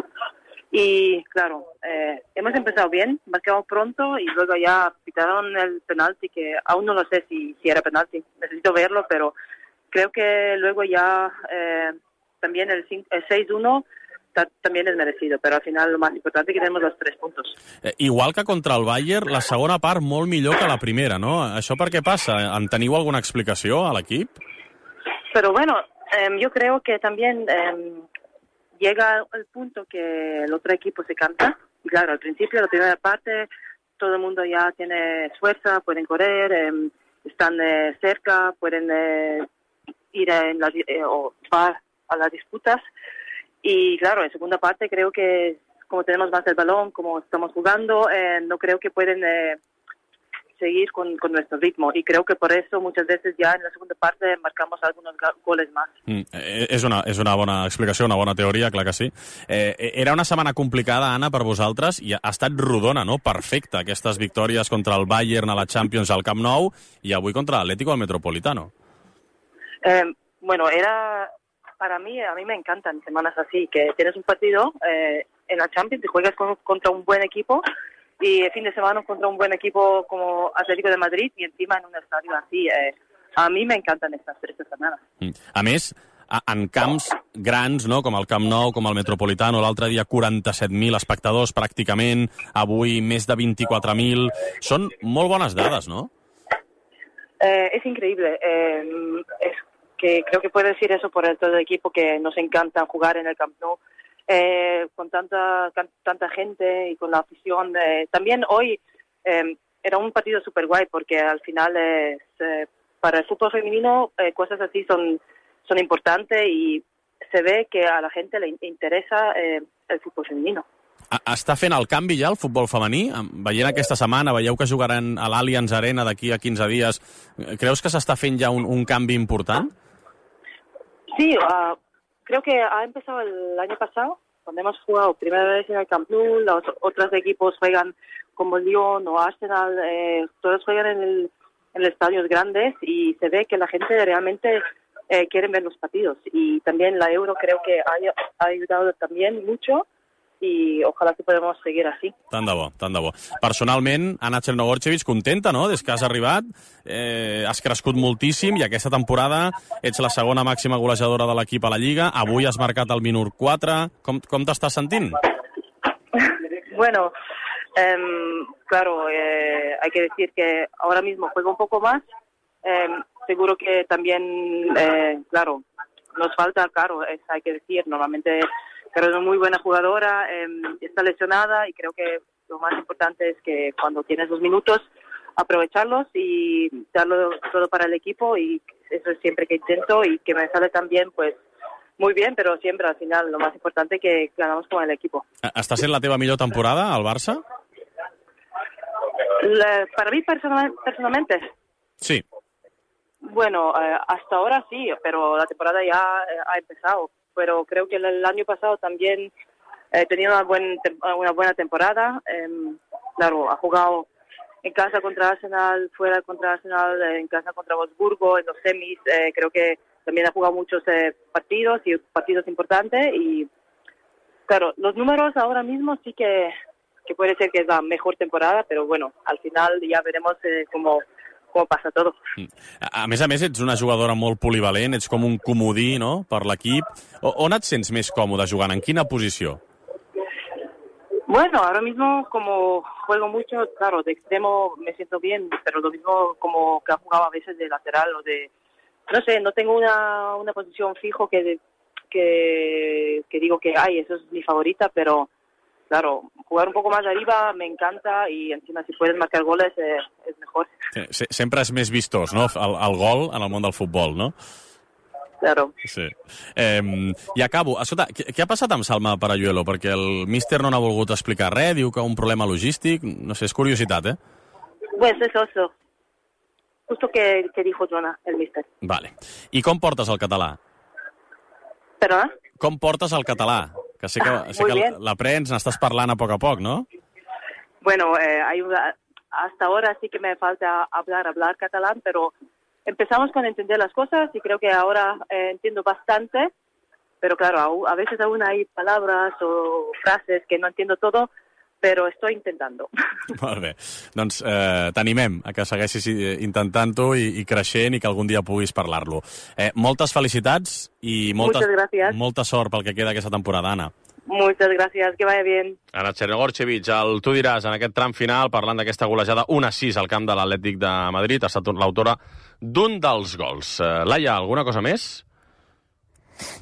Y claro, hemos empezado bien, marcamos pronto y luego ya pitaron el penalti, que aún no lo sé si era penalti, necesito verlo, pero creo que luego ya también el 6-1 también es merecido, pero al final lo más importante es que tenemos los 3 puntos. Igual que contra el Bayern, la segona part molt millor que la primera, no? Això per què passa? En teniu alguna explicació a l'equip? Pero bueno, yo creo que también llega el punto que el otro equipo se cansa. Y claro, al principio, la primera parte, todo el mundo ya tiene fuerza, pueden correr, están cerca, pueden ir o va a las disputas. Y claro, en segunda parte creo que como tenemos más el balón, como estamos jugando, no creo que pueden seguir con nuestro ritmo, y creo que por eso muchas veces ya en la segunda parte marcamos algunos goles más. És una bona explicació, una bona teoria, clar que sí. Era una setmana complicada, Anna, per vosaltres, i ha estat rodona, no? Perfecta, aquestes victòries contra el Bayern a la Champions al Camp Nou i avui contra l'Atlético al Metropolitano. Bueno, para mí, a mí me encantan semanas así, que tienes un partido en la Champions y juegas contra un buen equipo, y el fin de semana contra un buen equipo como Atlético de Madrid, y encima en un estadio así. A mí me encantan estas 3 setmanes. A més, en camps grans, no? Com el Camp Nou, com el Metropolitano, l'altre dia 47.000 espectadors pràcticament, avui més de 24.000. Són molt bones dades, no? Es increíble. Es que creo que puedo decir eso por todo el equipo, que nos encanta jugar en el Camp Nou. Con tanta gente y con la afición. También hoy era un partido súper guay, porque al final para el fútbol femenino cosas así son importantes, y se ve que a la gente le interesa el fútbol femenino. Està fent el canvi ja el futbol femení? Veient aquesta setmana, veieu que jugaran a l'Allianz Arena d'aquí a 15 dies. Creus que s'està fent ja un canvi important? Sí, creo que ha empezado el año pasado, cuando hemos jugado primera vez en el Camp Nou. Los otros equipos juegan como Lyon o Arsenal, todos juegan en estadios grandes, y se ve que la gente realmente quiere ver los partidos. Y también la Euro creo que ha ayudado también mucho, i ojalà que podem seguir així. Tant de bo, tant de bo. Personalment, Anna Chernogorchevich, contenta, no?, des que has arribat. Has crescut moltíssim, i aquesta temporada ets la segona màxima golejadora de l'equip a la Lliga. Avui has marcat el minut 4. Com t'estàs sentint? Bueno, claro, hay que decir que ahora mismo juego un poco más. Seguro que también, claro, nos falta, claro, hay que decir, normalmente Pero es una muy buena jugadora, está lesionada, y creo que lo más importante es que cuando tienes 2 minutos, aprovecharlos y darlo todo para el equipo, y eso es siempre que intento, y que me sale tan bien, pues muy bien, pero siempre al final lo más importante es que ganamos con el equipo. Està sent la teva millor temporada al Barça? Para mí personalmente. Sí. Bueno, hasta ahora sí, pero la temporada ya ha empezado. Pero creo que el año pasado también he tenido una buena temporada. Claro, ha jugado en casa contra Arsenal, fuera contra Arsenal, en casa contra Wolfsburgo, en los semis. Creo que también ha jugado muchos partidos importantes. Y claro, los números ahora mismo sí que puede ser que es la mejor temporada, pero bueno, al final ya veremos cómo passa tot. A més, ets una jugadora molt polivalent, ets com un comodí, no?, per l'equip. On et sents més còmode jugant? En quina posició? Bueno, ahora mismo como juego mucho, claro, de extremo me siento bien, pero lo mismo como que ha jugado a veces de lateral o de... No sé, no tengo una posición fijo que digo que, eso es mi favorita, pero... Claro, jugar un poco más arriba me encanta y encima si puedes marcar goles es mejor. Sí, sempre és més vistós, no?, el gol en el món del futbol, no? Claro. Sí. I acabo. Escolta, què ha passat amb Salma Paralluelo? Perquè el míster no n'ha volgut explicar res, diu que un problema logístic, no sé, és curiositat, eh? Pues eso. Justo que dijo Joana, el míster. Vale. I com portes el català? Perdona? Com portes el català? Que sé que l'aprens, n'estàs parlant a poc, ¿no? Bueno, hasta ahora sí que me falta hablar catalán, pero empezamos con entender las cosas y creo que ahora entiendo bastante, pero claro, a veces aún hay palabras o frases que no entiendo todo, però estoy intentando. Molt bé. Doncs t'animem a que segueixis intentant-ho i creixent i que algun dia puguis parlar-lo. Moltes felicitats i molta sort pel que queda aquesta temporada, Anna. Muchas gracias, que vaya bien. Anna Cherregorchevich, tu diràs en aquest tram final, parlant d'aquesta golejada 1-6 al camp de l'Atlètic de Madrid, ha estat l'autora d'un dels gols. Laia, alguna cosa més?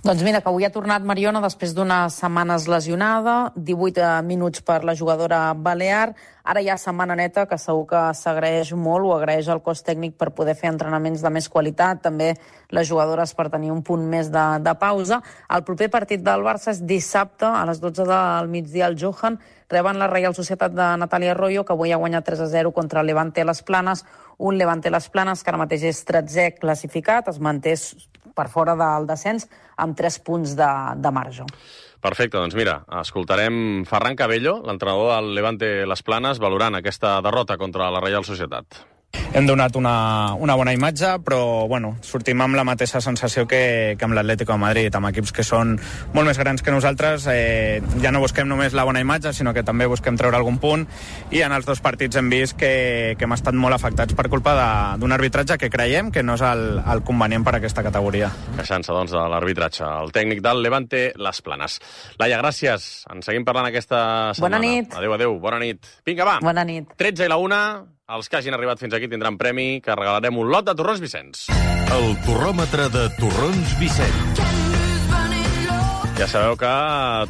Doncs mira, que avui ha tornat Mariona després d'unes setmanes lesionada, 18 minuts per la jugadora balear. Ara hi ha setmana neta, que segur que s'agraeix molt, o agraeix el cos tècnic per poder fer entrenaments de més qualitat, també les jugadores per tenir un punt més de pausa. El proper partit del Barça és dissabte, a les 12 del migdia, al Johan. Reben la Reial Societat de Natàlia Arroyo, que avui ha guanyat 3-0 contra el Levante Las Planes. Un Levante Las Planes que ara mateix és 13è classificat, es manté per fora del descens, amb 3 punts de marge. Perfecte, doncs mira, escoltarem Ferran Cabello, l'entrenador del Levante Las Planes, valorant aquesta derrota contra la Reial Societat. Hem donat una bona imatge, però bueno, sortim amb la mateixa sensació que amb l'Atlético de Madrid, amb equips que són molt més grans que nosaltres. Ja no busquem només la bona imatge, sinó que també busquem treure algun punt, i en els dos partits hem vist que hem estat molt afectats per culpa d'un arbitratge que creiem que no és el convenient per a aquesta categoria. Queixant-se, doncs, de l'arbitratge. El tècnic del Levante Las Planes. Laia, gràcies. Ens seguim parlant aquesta setmana. Bona nit. Adéu, bona nit. Vinga, va. Bona nit. 13 i la 1. Els que hagin arribat fins aquí tindran premi, que regalarem un lot de torrons Vicenç. El torròmetre de torrons Vicenç. Ja sabeu que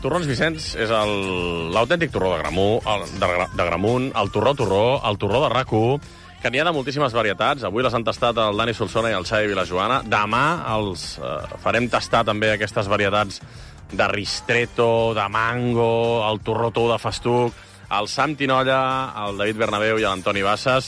torrons Vicenç és l'autèntic torró de Gramunt, el torró, el torró de RAC1, que n'hi ha de moltíssimes varietats. Avui les han tastat el Dani Solsona i el Xavi Vilajoana. Demà els farem tastar també aquestes varietats de ristretto, de mango, el torró tou de festuc, el Sam Tinolla, el David Bernabéu i l'Antoni Bassas.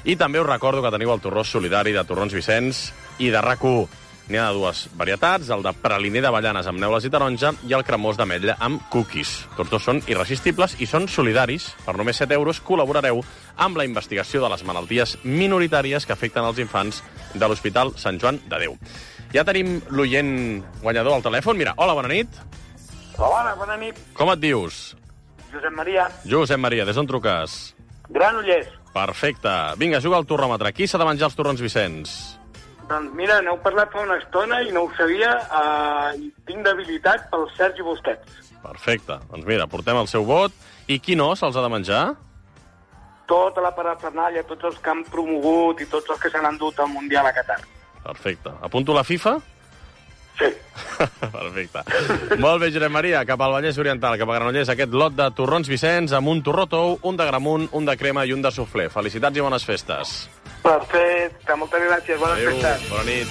I també us recordo que teniu el torró solidari de Torrons Vicenç i de RAC1. N'hi ha de dues varietats, el de praliner d'avellanes amb neules i taronja i el cremós d'ametlla amb cookies. Tots dos són irresistibles i són solidaris. Per només 7 euros col·laborareu amb la investigació de les malalties minoritàries que afecten els infants de l'Hospital Sant Joan de Déu. Ja tenim l'oient guanyador al telèfon. Mira, hola, bona nit. Hola, bona nit. Com et dius? Josep Maria. Josep Maria, des d'on truques? Granollers. Perfecte. Vinga, juga al torròmetre. Qui s'ha de menjar els torrons Vicenç? Doncs mira, n'heu parlat fa una estona i no ho sabia, i tinc debilitat pel Sergi Busquets. Perfecte. Doncs mira, portem el seu vot. I qui no se'ls ha de menjar? Tota la parafernàlia, tots els que han promogut i tots els que s'han endut al Mundial a Qatar. Perfecte. Apunto la FIFA? Sí. Perfecte. Molt bé, Josep Maria, cap al Vallès Oriental, cap a Granollers, aquest lot de torrons Vicenç amb un torró tou, un de Gramunt, un de crema i un de suflé. Felicitats i bones festes. Perfecte, moltes gràcies, bones festes. Bona nit.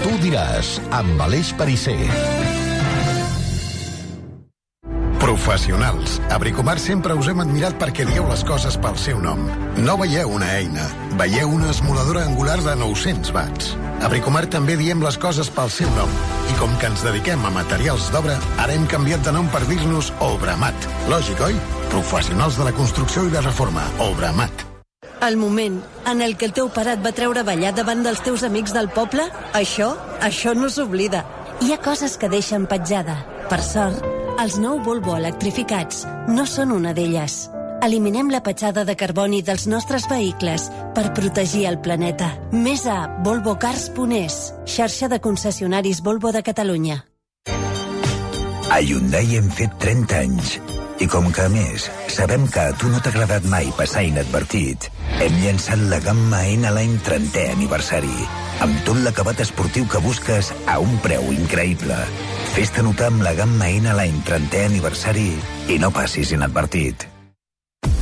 Tu diràs, amb Aleix Perisser. Professionals. A Bricomart sempre us hem admirat perquè dieu les coses pel seu nom. No veieu una eina, veieu una esmoladora angular de 900 watts. A Bricomart també diem les coses pel seu nom. I com que ens dediquem a materials d'obra, ara hem canviat de nom per dir-nos Obramat. Lògic, oi? Professionals de la construcció i la reforma. Obramat. El moment en el que el teu pare et va treure a ballar davant dels teus amics del poble, això no s'oblida. Hi ha coses que deixen petjada. Per sort, els nou Volvo electrificats no són una d'elles. Eliminem la petjada de carboni dels nostres vehicles per protegir el planeta. Més a volvocars.es, xarxa de concessionaris Volvo de Catalunya. A Hyundai hem fet 30 anys. I com que, a més, sabem que a tu no t'ha agradat mai passar inadvertit, hem llançat la gamma N-Line 30è aniversari, amb tot l'acabat esportiu que busques a un preu increïble. Fes-te notar amb la gamma N-Line 30è aniversari i no passis inadvertit.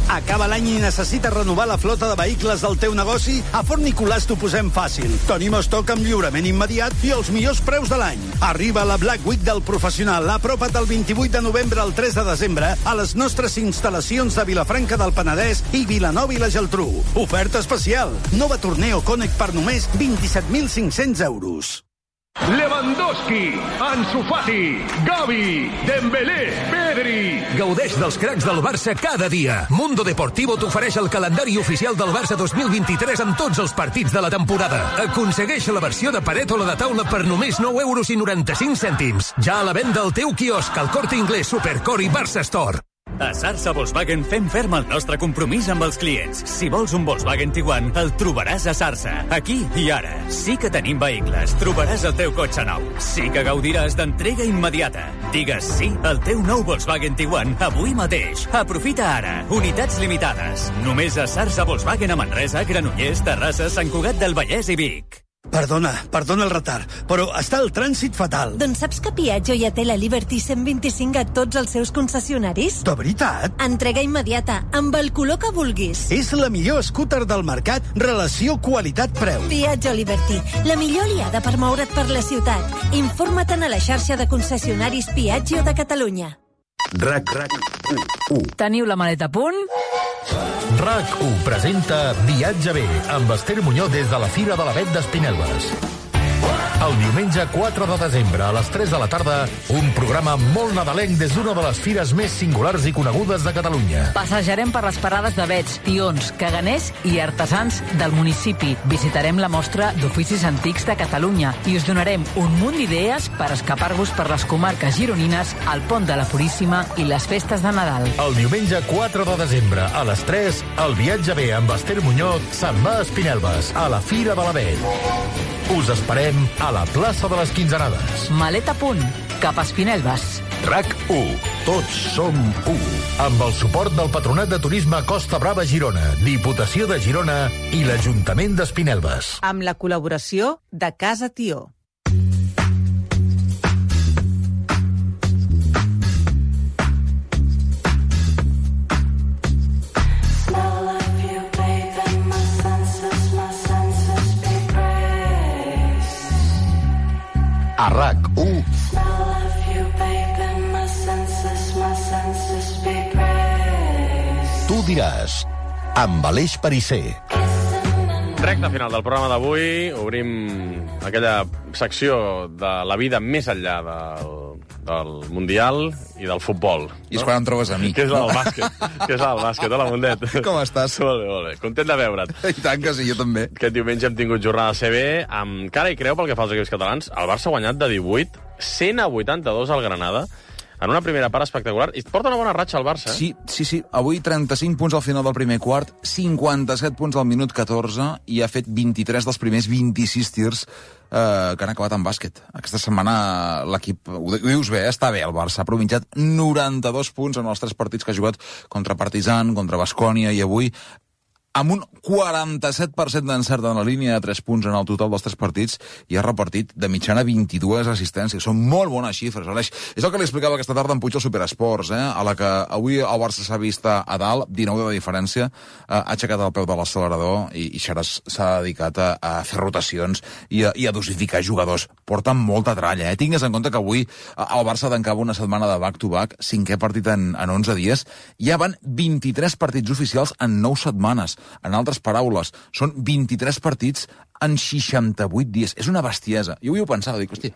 Acaba l'any i necessites renovar la flota de vehicles del teu negoci? A Fort Nicolàs t'ho posem fàcil. Tenim estoc amb lliurament immediat i els millors preus de l'any. Arriba la Black Week del professional. Apropa't del 28 de novembre al 3 de desembre a les nostres instal·lacions de Vilafranca del Penedès i Vilanova i la Geltrú. Oferta especial. Nova Torneo Connect per només 27.500 euros. Lewandowski, Ansu Fati, Gavi, Dembélé, Pedri. Gaudeix dels cracs del Barça cada dia. Mundo Deportivo t'ofereix el calendari oficial del Barça 2023 amb tots els partits de la temporada. Aconsegueix la versió de paret o la de taula per només 9,95 €. Ja a la venda al teu quiosc, al Corte Inglés, Supercore i Barça Store. A Sarsa Volkswagen fem ferm el nostre compromís amb els clients. Si vols un Volkswagen Tiguan, el trobaràs a Sarsa. Aquí i ara. Sí que tenim vehicles. Trobaràs el teu cotxe nou. Sí que gaudiràs d'entrega immediata. Digues sí al teu nou Volkswagen Tiguan avui mateix. Aprofita ara. Unitats limitades. Només a Sarsa Volkswagen a Manresa, Granollers, Terrassa, Sant Cugat del Vallès i Vic. Perdona el retard, però està el trànsit fatal. Doncs saps que Piaggio ja té la Liberty 125 a tots els seus concessionaris? De veritat? Entrega immediata, amb el color que vulguis. És la millor scooter del mercat, relació qualitat-preu. Piaggio Liberty, la millor aliada per moure't per la ciutat. Informa't a la xarxa de concessionaris Piaggio de Catalunya. RAC1. Teniu la maleta a punt? RAC1 presenta Viatge bé amb Esther Muñoz des de la Fira de l'Avet d'Espinelves. El diumenge 4 de desembre a les 3 de la tarda, un programa molt nadalenc des d'una de les fires més singulars i conegudes de Catalunya. Passejarem per les parades d'avets, tions, caganers i artesans del municipi. Visitarem la mostra d'oficis antics de Catalunya i us donarem un munt d'idees per escapar-vos per les comarques gironines, el Pont de la Puríssima i les festes de Nadal. El diumenge 4 de desembre a les 3, el Viatge bé amb Esther Muñoz se'n va a Espinelves, a la Fira de l'Avet. Us esperem a la plaça de les Quinzenades. Maleta a punt, cap a Espinelves. RAC1. Tots som u. Amb el suport del Patronat de Turisme Costa Brava Girona, Diputació de Girona i l'Ajuntament d'Espinelves. Amb la col·laboració de Casa Tió. A RAC1. Tu diràs, amb Aleix Perisser. Recte final del programa d'avui. Obrim aquella secció de la vida més enllà del Mundial i del futbol. I és quan em trobes a mi. Que és la del bàsquet. Que és la del bàsquet. Hola, Mundet. Com estàs? Molt bé, molt bé. Content de veure't. I tant que sí, jo també. Aquest diumenge hem tingut jornada CB amb cara i creu pel que fa als equips catalans. El Barça ha guanyat de 18, 100-82 al Granada, en una primera part espectacular. I porta una bona ratxa al Barça, eh? Sí. Avui 35 punts al final del primer quart, 57 punts al minut 14 i ha fet 23 dels primers 26 tirs que han acabat en bàsquet. Aquesta setmana l'equip, ho dius bé, està bé el Barça, ha provinciat 92 punts en els 3 partits que ha jugat contra Partizan, contra Baskonia i avui amb un 47% d'encert en la línia de 3 punts en el total dels 3 partits i ha repartit de mitjana 22 assistències. Són molt bones xifres, Aleix. És el que li explicava aquesta tarda en Puig al Superesports, a la que avui el Barça s'ha vist a dalt, 19 de diferència, ha aixecat el peu de l'accelerador i Xaras s'ha dedicat a fer rotacions i a dosificar jugadors. Porten molta tralla, Tingues en compte que avui el Barça tancava una setmana de back-to-back, 5è partit en 11 dies, ja van 23 partits oficials en 9 setmanes. En altres paraules, són 23 partits en 68 dies. És una bestiesa. Jo ho pensava, dic, hòstia...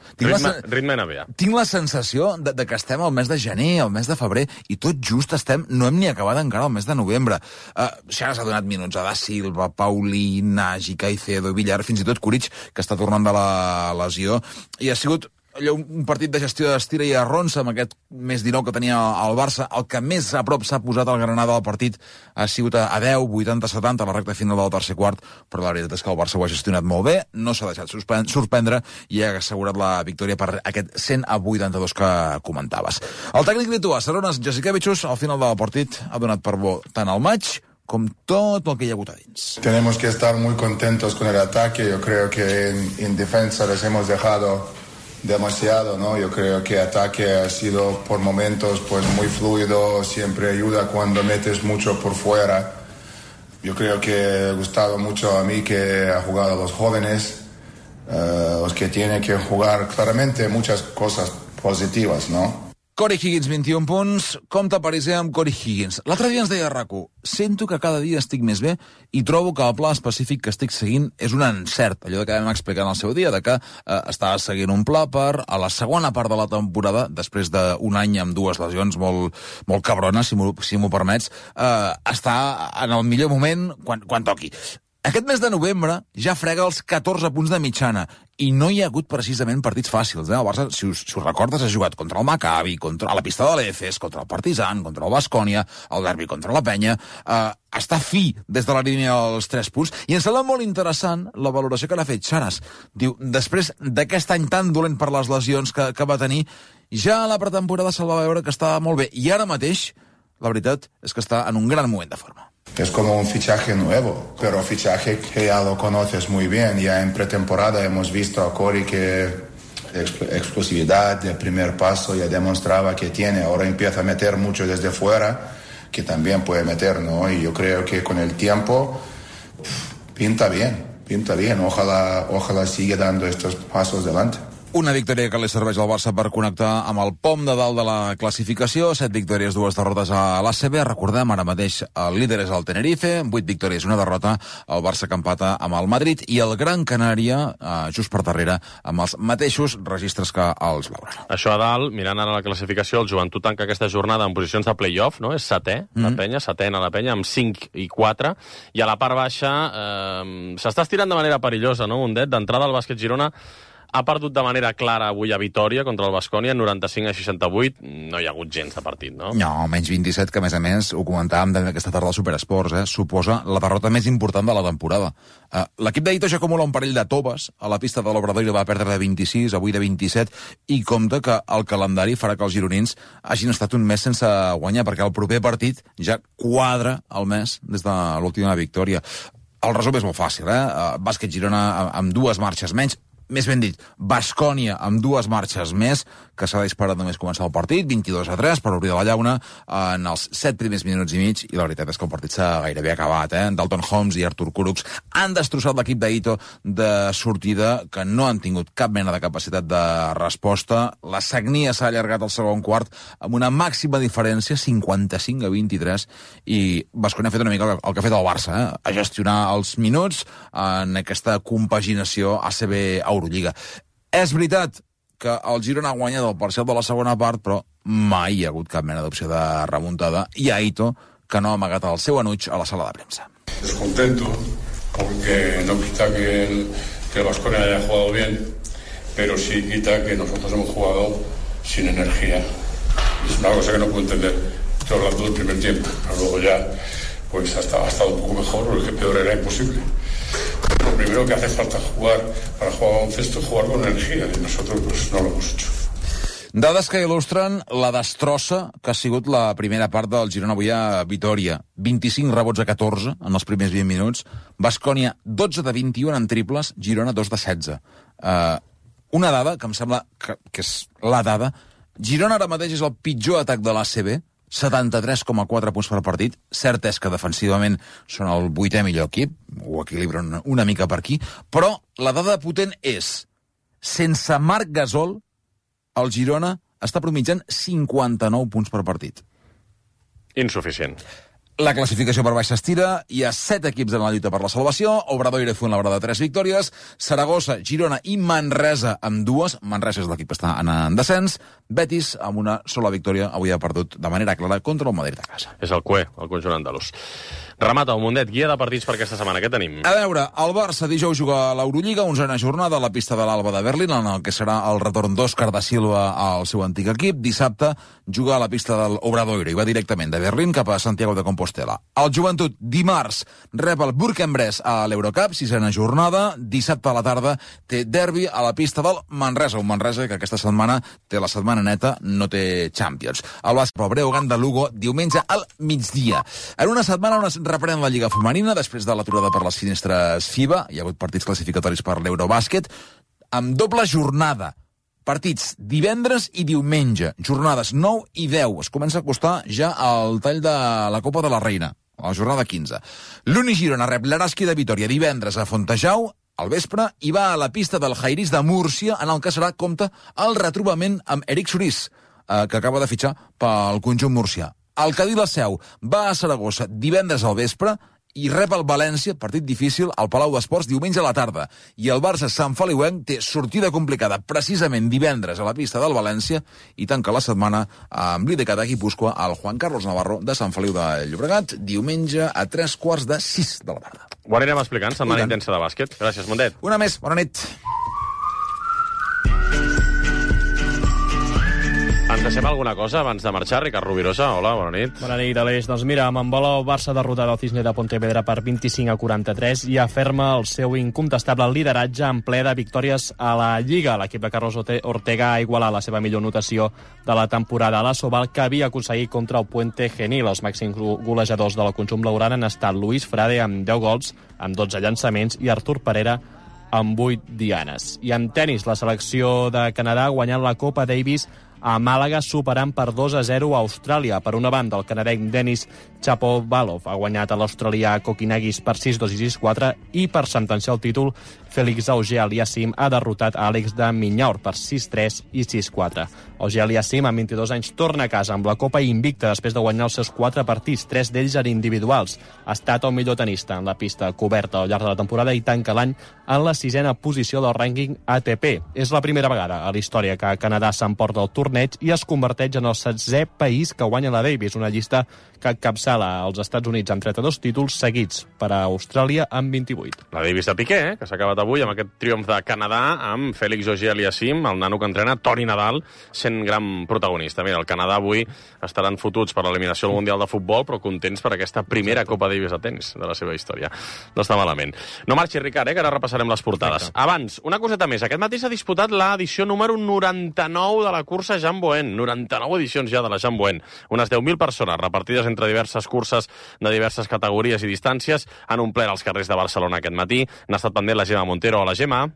Ritme NBA. Tinc la sensació de que estem al mes de gener, al mes de febrer, i tot just no hem ni acabat encara el mes de novembre. Xaras ha donat minuts a Da Silva, Paulí, Nagy, Caicedo, Villar, fins i tot Curic, que està tornant de la lesió, i ha sigut allò, un partit de gestió d'estira i arronsa amb aquest més 19 que tenia el Barça. El que més a prop s'ha posat al Granada del partit ha sigut a 10, 80-70 a la recta final del tercer quart, però la veritat és que el Barça ho ha gestionat molt bé, no s'ha deixat sorprendre i ha assegurat la victòria per aquest 100-82 que comentaves. El tècnic lituà, Šarūnas Jasikevičius, al final del partit ha donat per bo tant el maig com tot el que hi ha hagut a dins. Tenemos que estar muy contentos con el ataque. Yo creo que en defensa les hemos dejado demasiado, ¿no? Yo creo que ataque ha sido por momentos pues muy fluido, siempre ayuda cuando metes mucho por fuera. Yo creo que ha gustado mucho a mí que ha jugado los jóvenes, los que tienen que jugar claramente muchas cosas positivas, ¿no? Corey Higgins, 21 punts. Compte pariser amb Corey Higgins. L'altre dia ens deia RAC1, sento que cada dia estic més bé i trobo que el pla específic que estic seguint és un encert. Allò que vam explicar en el seu dia, de que estava seguint un pla per, a la segona part de la temporada, després d'un any amb 2 lesions molt cabrones, si m'ho permets, estar en el millor moment quan toqui. Aquest mes de novembre ja frega els 14 punts de mitjana i no hi ha hagut precisament partits fàcils. El Barça, si us recordes, ha jugat contra el Maccabi, a la pista de l'Efes, contra el Partizan, contra el Baskonia, el derbi contra la Penya. Està fi des de la línia dels 3 punts. I em sembla molt interessant la valoració que l'ha fet Xaras. Diu, després d'aquest any tan dolent per les lesions que va tenir, ja a la pretemporada se'l va veure que estava molt bé. I ara mateix, la veritat és que està en un gran moment de forma. Es como un fichaje nuevo, pero fichaje que ya lo conoces muy bien. Ya en pretemporada hemos visto a Corey que explosividad de primer paso ya demostraba que tiene. Ahora empieza a meter mucho desde fuera, que también puede meter, ¿no? Y yo creo que con el tiempo pinta bien. Ojalá siga dando estos pasos delante. Una victòria que li serveix al Barça per connectar amb el pom de dalt de la classificació. 7 victòries, 2 derrotes a l'ACB. Recordem, ara mateix el líder és el Tenerife, 8 victòries, 1 derrota. El Barça que empata amb el Madrid i el Gran Canària, just per darrere, amb els mateixos registres que els Blaugrana. Això a dalt, mirant ara la classificació, el Joventut tanca aquesta jornada en posicions de play-off, no? És setè, la Penya, setena la Penya, amb 5 i 4. I a la part baixa s'està estirant de manera perillosa, no? Mundet, d'entrada al Bàsquet Girona ha perdut de manera clara avui a Vitòria contra el Baskonia, 95-68. No hi ha hagut gens de partit, no? No, menys 27, que a més ho comentàvem aquesta tarda al Superesports, suposa la derrota més important de la temporada. L'equip d'Aito ja acumula un parell de toves a la pista de l'Obradoiro, va perdre de 26, avui de 27, i compta que el calendari farà que els gironins hagin estat un mes sense guanyar, perquè el proper partit ja quadra el mes des de l'última victòria. El resum és molt fàcil, Bàsquet Girona amb 2 marxes menys, més ben dit, Baskonia amb 2 marxes més, que s'ha disparat només començar el partit, 22-3 per obrir de la llauna en els 7 primers minuts i mig, i la veritat és que el partit s'ha gairebé acabat. Dalton Holmes i Artur Kurucs han destrossat l'equip d'Aito de sortida, que no han tingut cap mena de capacitat de resposta. La sagnia s'ha allargat al segon quart amb una màxima diferència, 55-23, i Baskonia ha fet una mica el que ha fet el Barça, a gestionar els minuts en aquesta compaginació ACB-Eurolliga. És veritat que el Girona ha guanyat el parcial de la segona part, però mai hi ha hagut cap mena d'opció de remuntada, i Aito, que no ha amagat el seu enuig a la sala de premsa. Descontento, porque no quita que el Baskonia haya jugado bien, pero sí quita que nosotros hemos jugado sin energía. Es una cosa que no puedo entender. Estoy hablando del primer tiempo, pero luego ya pues ha estado un poco mejor, porque el peor era imposible. Lo primero que hace falta jugar para jugar baloncesto es jugar con energía, y nosotros pues no lo hemos hecho. Dades que il·lustren la destrossa que ha sigut la primera part del Girona avui a Vitòria. 25 rebots a 14 en els primers 20 minuts. Baskonia 12 de 21 en triples, Girona 2 de 16. Una dada que em sembla que és la dada. Girona ara mateix és el pitjor atac de l'ACB, 73,4 punts per partit. Cert és que defensivament són el 8è millor equip, ho equilibren una mica per aquí, però la dada potent és, sense Marc Gasol, el Girona està promitjant 59 punts per partit. Insuficient. La classificació per baix s'estira, hi ha 7 equips en la lluita per la salvació, Obradoiro i Fuenlabrada 3 victòries, Saragossa, Girona i Manresa amb 2, Manresa és l'equip que està en descens, Betis amb una sola victòria, avui ha perdut de manera clara contra el Madrid a casa. És el CUE, el conjunt andalús. Remata, Mundet, guia de partits per aquesta setmana, què tenim? A veure, el Barça dijous juga a l'Eurolliga, 11a jornada a la pista de l'Alba de Berlín, en el que serà el retorn d'Òscar da Silva al seu antic equip. Dissabte juga a la pista del Obradoiro i va directament de Berlín cap a Santiago de Compostela. El Joventut, dimarts, rep el Bourg-en-Bresse a l'Eurocup, 6a jornada. Dissabte a la tarda té derbi a la pista del Manresa, un Manresa que aquesta setmana té la setmana neta, no té Champions. El Barça pel Breogán de Lugo, diumenge al migdia. En una setmana on es reprèn la Lliga Femenina, després de l'aturada per les finestres FIBA, hi ha hagut partits classificatoris per l'Eurobàsquet, amb doble jornada. Partits divendres i diumenge, jornades 9 i 10. Es comença a acostar ja al tall de la Copa de la Reina, a la jornada 15. L'Uni Girona rep l'Araski de Vitòria divendres a Fontejau, al vespre, i va a la pista del Jairis de Múrcia, en el que serà compte el retrobament amb Eric Sorís, que acaba de fitxar pel conjunt murcià. El Cadí la Seu va a Saragossa divendres al vespre i rep el València, partit difícil, al Palau d'Esports diumenge a la tarda. I el Barça Sant Feliuenc té sortida complicada precisament divendres a la pista del València i tanca la setmana amb l'IDK de Guipúscoa al Juan Carlos Navarro de Sant Feliu de Llobregat, diumenge a 3:45 de la tarda. Ho anirem explicant, setmana intensa de bàsquet. Gràcies, Mundet. Una més, bona nit. Ens deixem alguna cosa abans de marxar? Ricard Rovirosa, hola, bona nit. Bona nit, Aleix. Doncs mira, amb Embola, el Barça derrotat el Cisne de Pontevedra per 25-43 i aferma el seu incontestable lideratge en ple de victòries a la Lliga. L'equip de Carlos Ortega ha igualat la seva millor notació de la temporada a la Sobal, que havia aconseguit contra el Puente Genil. Els màxims golejadors de la conjunt blaugrana han estat Luis Frade amb 10 gols, amb 12 llançaments, i Artur Parera amb 8 dianes. I en tenis, la selecció de Canadà ha guanyat la Copa Davis a Màlaga, superant per 2-0 a Austràlia. Per una banda, el canadenc Denis Shapovalov ha guanyat a l'australià Kokinagis per 6-2 i 6-4, i per sentenciar el títol, Félix Auger-Aliassime ha derrotat a Àlex de Miñaur per 6-3 i 6-4. Auger-Aliassime, amb 22 anys, torna a casa amb la Copa invicta després de guanyar els seus 4 partits, 3 d'ells en individuals. Ha estat el millor tenista en la pista coberta al llarg de la temporada i tanca l'any en la 6a posició del rànquing ATP. És la primera vegada a la història que Canadà s'emporta el torneig i es converteix en el 16è país que guanya la Davis, una llista que encapçala als Estats Units amb 32 títols, seguits per a Austràlia amb 28. La Davis de Piqué, que s'ha acabat avui amb aquest triomf de Canadà, amb Félix Auger-Aliassime, el nano que entrena, Toni Nadal, sent gran protagonista. Mira, el Canadà avui estaran fotuts per l'eliminació al Mundial de Futbol, però contents per aquesta primera Copa Davis de tenis de la seva història. No està malament. No marxi, Ricard, que ara repassarem les portades. Abans, una coseta més. Aquest matí s'ha disputat l'edició número 99 de la cursa Jean Boen. 99 edicions ja de la Jean Boen. Unes 10.000 persones repartides entre diverses curses de diverses categories i distàncies han omplert els carrers de Barcelona aquest matí. N'ha estat pendent la Gemma Montero. Hola, Gemma.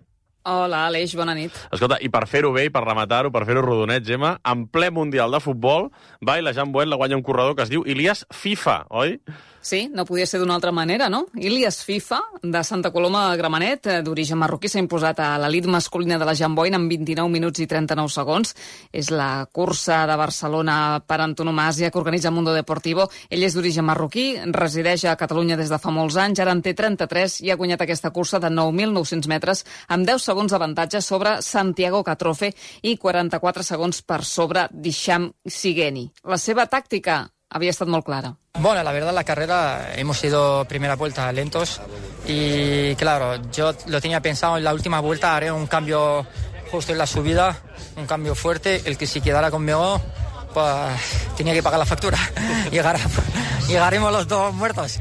Hola, Aleix, bona nit. Escolta, i per fer-ho bé i per rematar-ho, per fer-ho rodonet, Gemma, en ple Mundial de Futbol, va i la Jean Boen la guanya un corredor que es diu Ilias FIFA, oi? Sí, no podia ser d'una altra manera, no? Ilias FIFA, de Santa Coloma a Gramenet, d'origen marroquí, s'ha imposat a l'elit masculina de la Jean Boen en 29 minuts i 39 segons. És la cursa de Barcelona per antonomàsia que organitza Mundo Deportivo. Ell és d'origen marroquí, resideix a Catalunya des de fa molts anys, ara en té 33 i ha guanyat aquesta cursa de 9.900 metres amb 10 segons d'avantatge sobre Santiago Catrofe i 44 segons per sobre d'Hisham Sigeni. La seva tàctica había estado muy clara. Bueno, la verdad la carrera hemos ido primera vuelta lentos y claro, yo lo tenía pensado en la última vuelta, haré un cambio justo en la subida, un cambio fuerte, el que si quedara conmigo pues tenía que pagar la factura. Llegaremos los dos muertos.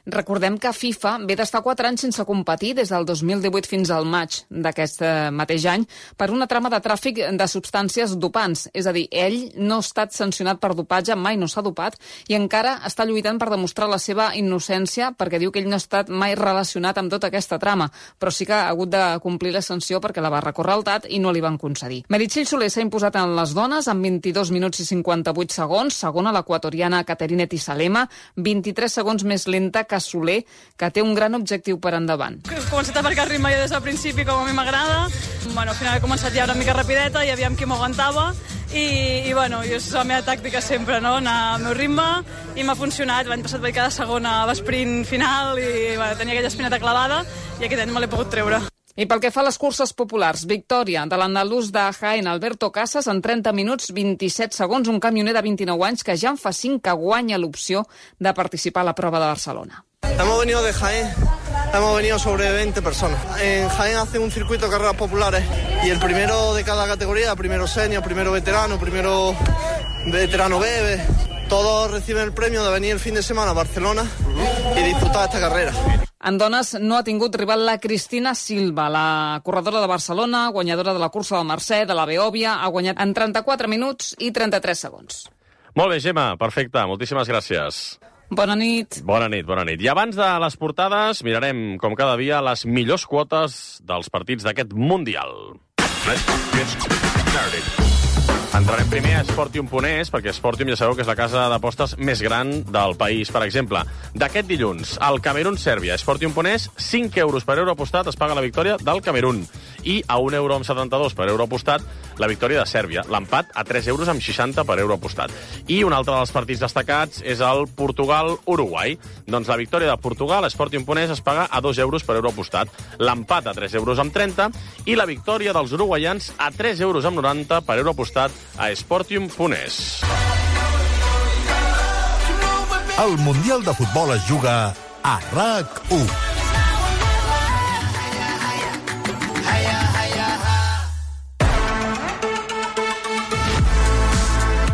Recordem que FIFA ve d'estar 4 anys sense competir des del 2018 fins al maig d'aquest mateix any per una trama de tràfic de substàncies dopants. És a dir, ell no ha estat sancionat per dopatge, mai no s'ha dopat, i encara està lluitant per demostrar la seva innocència perquè diu que ell no ha estat mai relacionat amb tota aquesta trama, però sí que ha hagut de complir la sanció perquè la va recórrer al TAT i no li van concedir. Meritxell Soler s'ha imposat en les dones amb 22 minuts i 58 segons, segona l'equatoriana Caterine Tisalema, 23 segons més lenta que Soler, que té un gran objectiu per endavant. He començat a marcar ritme ja des del principi, com a mi m'agrada. Al final he començat ja una mica rapideta i aviam qui m'aguantava. I és la meva tàctica sempre, no? Anar al meu ritme, i m'ha funcionat. L'any passat vaig quedar segona a l'esprint final i tenia aquella espineta clavada, i aquest any me l'he pogut treure. I pel que fa a les curses populars, victòria de l'andalús de Jaén, Alberto Casas, en 30 minuts 27 segons, un camioner de 29 anys que ja en fa 5 que guanya l'opció de participar a la prova de Barcelona. Hemos venido de Jaén, hemos venido sobre 20 personas. En Jaén hacen un circuito de carreras populares y el primero de cada categoría, primero senior, primero veterano B, todos reciben el premio de venir el fin de semana a Barcelona y disfrutar esta carrera. En dones no ha tingut rival la Cristina Silva, la corredora de Barcelona, guanyadora de la cursa del Mercè, de la Beòvia, ha guanyat en 34 minuts i 33 segons. Molt bé, Gemma, perfecte, moltíssimes gràcies. Bona nit. Bona nit. I abans de les portades, mirarem, com cada dia, les millors quotes dels partits d'aquest Mundial. Entrarem primer a Sportium.es, perquè Sportium ja sabeu que és la casa d'apostes més gran del país. Per exemple, d'aquest dilluns, el Camerún-Sèrbia. Sportium.es, 5 euros per euro apostat es paga la victòria del Camerún. I a 1,72 € per euro apostat la victòria de Sèrbia. L'empat a 3,60 € per euro apostat. I un altre dels partits destacats és el Portugal-Uruguai. Doncs la victòria de Portugal a Sportium.es es paga a 2 euros per euro apostat. L'empat a 3,30 € i la victòria dels uruguaians a 3,90 € per euro apostat a Sportium.es. El Mundial de Futbol es juga a RAC1.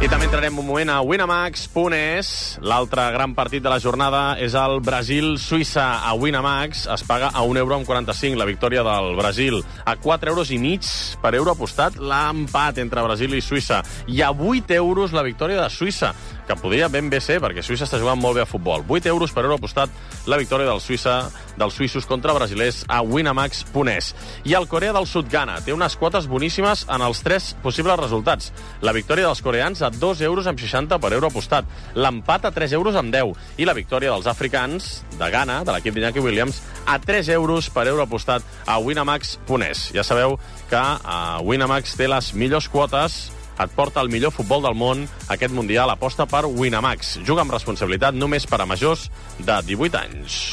I també entrarem un moment a Winamax.es. L'altre gran partit de la jornada és el Brasil-Suïssa. A Winamax es paga a 1,45 € la victòria del Brasil. A 4,5 € per euro apostat l'empat entre Brasil i Suïssa. I a 8 € la victòria de Suïssa, que podria ben bé ser, perquè Suïssa està jugant molt bé a futbol. 8 € per euro apostat la victòria dels suïssos contra brasilers a Winamax.es. I el Corea del Sud-Ghana té unes quotes boníssimes en els 3 possibles resultats. La victòria dels coreans a 2,60 € per euro apostat. L'empat a 3,10 € i la victòria dels africans de Ghana, de l'equip d'Iñaki Williams, a 3 € per euro apostat a Winamax.es. Ja sabeu que Winamax té les millors quotes, et porta el millor futbol del món. Aquest Mundial aposta per Winamax. Juga amb responsabilitat, només per a majors de 18 anys.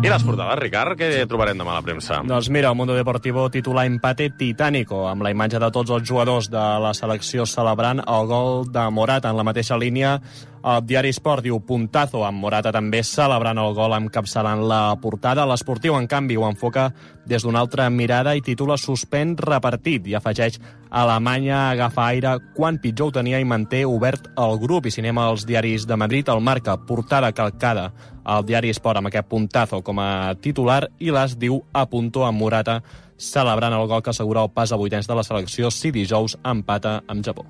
I les portades, Ricard, què trobarem demà a la premsa? Doncs mira, el Mundo Deportivo titula empate titánico, amb la imatge de tots els jugadors de la selecció celebrant el gol de Morata en la mateixa línia. El diari Sport diu puntazo, amb Morata també celebrant el gol encapçalant la portada. L'Esportiu, en canvi, ho enfoca des d'una altra mirada i titula suspèn repartit i afegeix Alemanya agafa aire quan pitjor ho tenia i manté obert el grup. I si anem als diaris de Madrid, el Marca, portada calcada al diari Sport amb aquest puntazo com a titular, i l'As diu a punto amb Morata celebrant el gol que assegura el pas a vuitens de la selecció si dijous empata amb Japó.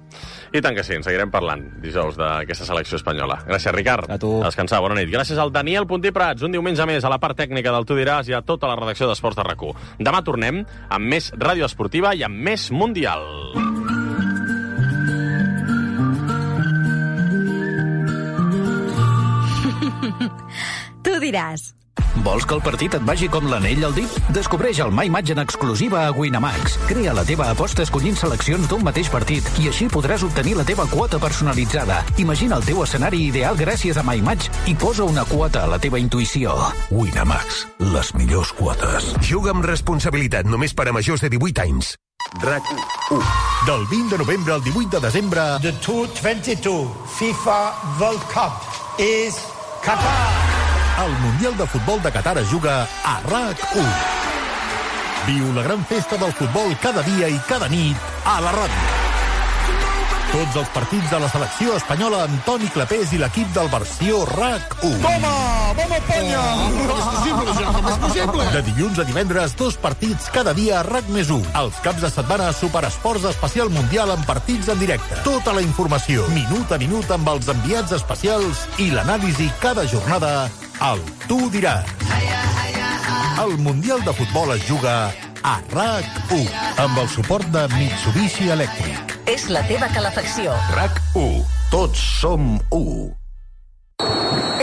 I tant que sí, en seguirem parlant dijous d'aquesta selecció espanyola. Gràcies, Ricard. A tu. A descansar, bona nit. Gràcies al Daniel Puntí Prats, un diumenge més a la part tècnica del Tu diràs i a tota la redacció d'Esports de RAC1. Demà tornem amb més ràdio esportiva i amb més Mundial. Tu diràs. Vols que el partit et vagi com l'anell al dit? Descobreix el My Match en exclusiva a Winamax. Crea la teva aposta escollint seleccions d'un mateix partit i així podràs obtenir la teva quota personalitzada. Imagina el teu escenari ideal gràcies a My Match i posa una quota a la teva intuïció. Winamax, les millors quotes. Juga amb responsabilitat, només per a majors de 18 anys. RAC1. Del 20 de novembre al 18 de desembre... The 2022 FIFA World Cup is Qatar. El Mundial de Futbol de Qatar es juga a RAC1. Viu la gran festa del futbol cada dia i cada nit a la ràdio. Tots els partits de la selecció espanyola amb Toni Clapés i l'equip del versió RAC1. Toma! Vamos, Espanya! Com és possible? De dilluns a divendres, 2 partits cada dia a RAC+1. Els caps de setmana, Superesports Especial Mundial amb partits en directe. Tota la informació, minut a minut amb els enviats especials i l'anàlisi cada jornada al Tu diràs. El Mundial de Futbol es juga a RAC1, amb el suport de Mitsubishi Elèctric. És la teva calefacció. RAC1. Tots som 1.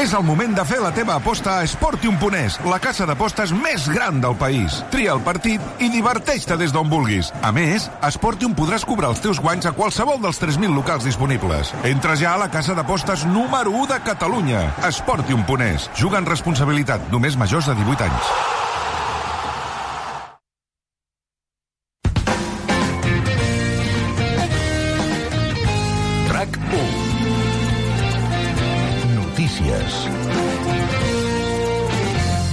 És el moment de fer la teva aposta a Sportium.es, la casa d'apostes més gran del país. Tria el partit i diverteix-te des d'on vulguis. A més, a Sportium podràs cobrar els teus guanys a qualsevol dels 3.000 locals disponibles. Entra ja a la casa d'apostes número 1 de Catalunya. Sportium.es. Juga amb responsabilitat. Només majors de 18 anys.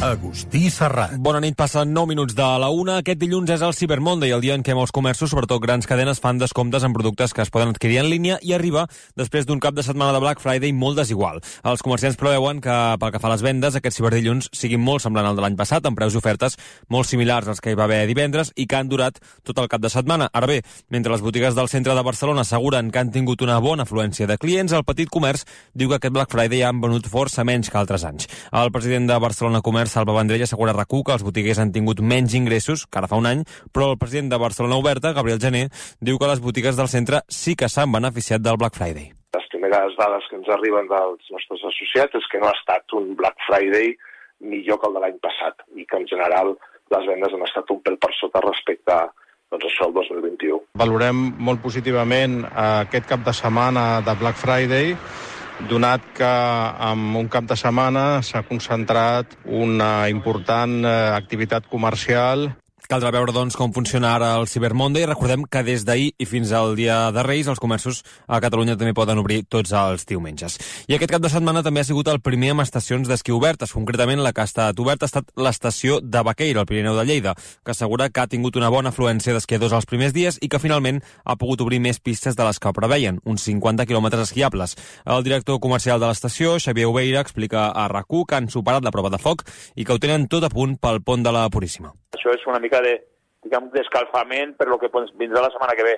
Agustí Serrat. Bona nit, passen 9 minuts de la 1. Aquest dilluns és el Cyber Monday, el dia en què molts comerços, sobretot grans cadenes, fan descomptes en productes que es poden adquirir en línia i arriba després d'un cap de setmana de Black Friday molt desigual. Els comerciants preveuen que, pel que fa a les vendes, aquest ciberdilluns sigui molt semblant al de l'any passat, amb preus i ofertes molt similars als que hi va haver divendres i que han durat tot el cap de setmana. Ara bé, mentre les botigues del centre de Barcelona asseguren que han tingut una bona afluència de clients, el petit comerç diu que aquest Black Friday han venut força menys que altres anys. El president de Barcelona Comerç, Salva Vendrell, assegura a RAC1 que els botiguers han tingut menys ingressos que ara fa un any, però el president de Barcelona Oberta, Gabriel Gené, diu que les botigues del centre sí que s'han beneficiat del Black Friday. Les primeres dades que ens arriben dels nostres associats és que no ha estat un Black Friday millor que el de l'any passat i que en general les vendes han estat un pèl per sota respecte a això el 2021. Valorem molt positivament aquest cap de setmana de Black Friday, donat que en un cap de setmana s'ha concentrat una important activitat comercial. Caldrà veure, doncs, com funciona ara el Cyber Monday. Recordem que des d'ahir i fins al dia de Reis els comerços a Catalunya també poden obrir tots els diumenges. I aquest cap de setmana també ha sigut el primer amb estacions d'esquí obertes. Concretament, la que ha estat oberta ha estat l'estació de Baqueira, al Pirineu de Lleida, que assegura que ha tingut una bona afluència d'esquiadors els primers dies i que finalment ha pogut obrir més pistes de les que preveien, uns 50 quilòmetres esquiables. El director comercial de l'estació, Xavier Obeira, explica a RAC1 que han superat la prova de foc i que ho tenen tot a punt pel pont de la Puríssima. Això és una mica d'escalfament per lo que vindrà la setmana que ve.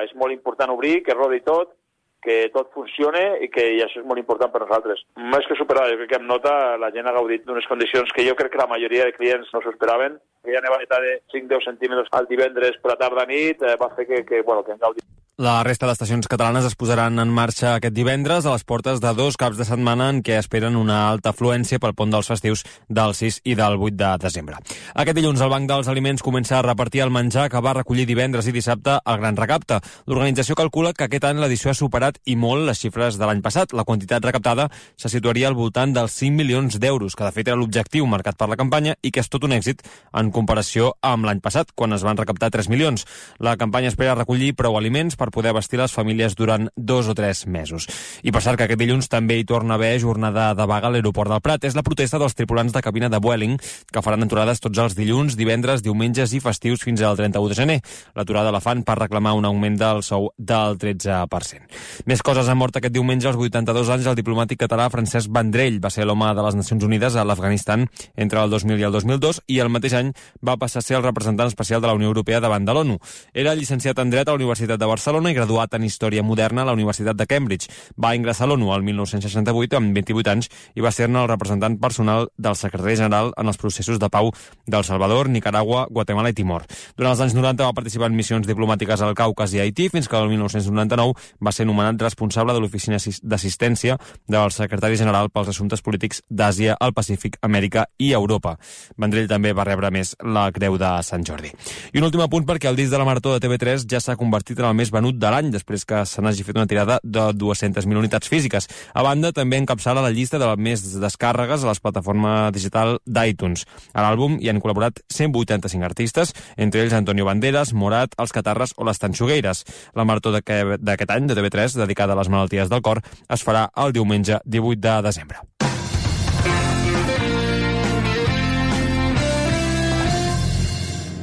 És molt important obrir, que rodi tot, que tot funcione i això és molt important per nosaltres. Més que superar, jo crec que em nota la gent ha gaudit d'unes condicions que jo crec que la majoria de clients no s'ho esperaven. Aquella nevada de 5-10 centímetres al divendres per la tarda-nit va fer que hem gaudit. La resta d'estacions catalanes es posaran en marxa aquest divendres a les portes de 2 caps de setmana en què esperen una alta afluència pel pont dels festius del 6 i del 8 de desembre. Aquest dilluns el Banc dels Aliments comença a repartir el menjar que va recollir divendres i dissabte el Gran Recapte. L'organització calcula que aquest any l'edició ha superat i molt les xifres de l'any passat. La quantitat recaptada se situaria al voltant dels 5 milions d'euros, que de fet era l'objectiu marcat per la campanya i que és tot un èxit en comparació amb l'any passat, quan es van recaptar 3 milions. La campanya espera recollir prou aliments per poder abastir les famílies durant 2 o 3 mesos. I per cert que aquest dilluns també hi torna a haver jornada de vaga a l'aeroport del Prat. És la protesta dels tripulants de cabina de Vueling, que faran aturades tots els dilluns, divendres, diumenges i festius fins al 31 de gener. L'aturada la fan per reclamar un augment del sou del 13%. Més coses. Han mort aquest diumenge als 82 anys el diplomàtic català Francesc Vendrell. Va ser l'home de les Nacions Unides a l'Afganistan entre el 2000 i el 2002 i el mateix any va passar a ser el representant especial de la Unió Europea davant de l'ONU. Era llicenciat en Dret a la Universitat de Barcelona i graduat en Història Moderna a la Universitat de Cambridge. Va ingressar a l'ONU el 1968 amb 28 anys i va ser-ne el representant personal del secretari general en els processos de pau del Salvador, Nicaragua, Guatemala i Timor. Durant els anys 90 va participar en missions diplomàtiques al Caucas i a Haití fins que el 1999 va ser nomenat responsable de l'Oficina d'Assistència del secretari general pels assumptes polítics d'Àsia, el Pacífic, Amèrica i Europa. Vendrell també va rebre més la Creu de Sant Jordi. I un últim apunt perquè el disc de la Marató de TV3 ja s'ha convertit en el més venut de l'any després que se n'hagi fet una tirada de 200.000 unitats físiques. A banda, també encapçala la llista de les més descàrregues a la plataforma digital d'iTunes. A l'àlbum hi han col·laborat 185 artistes, entre ells Antonio Banderas, Morat, Els Catarres o Les Tanxugueires. La Marató d'aquest any de TV3, dedicada a les malalties del cor, es farà el diumenge 18 de desembre.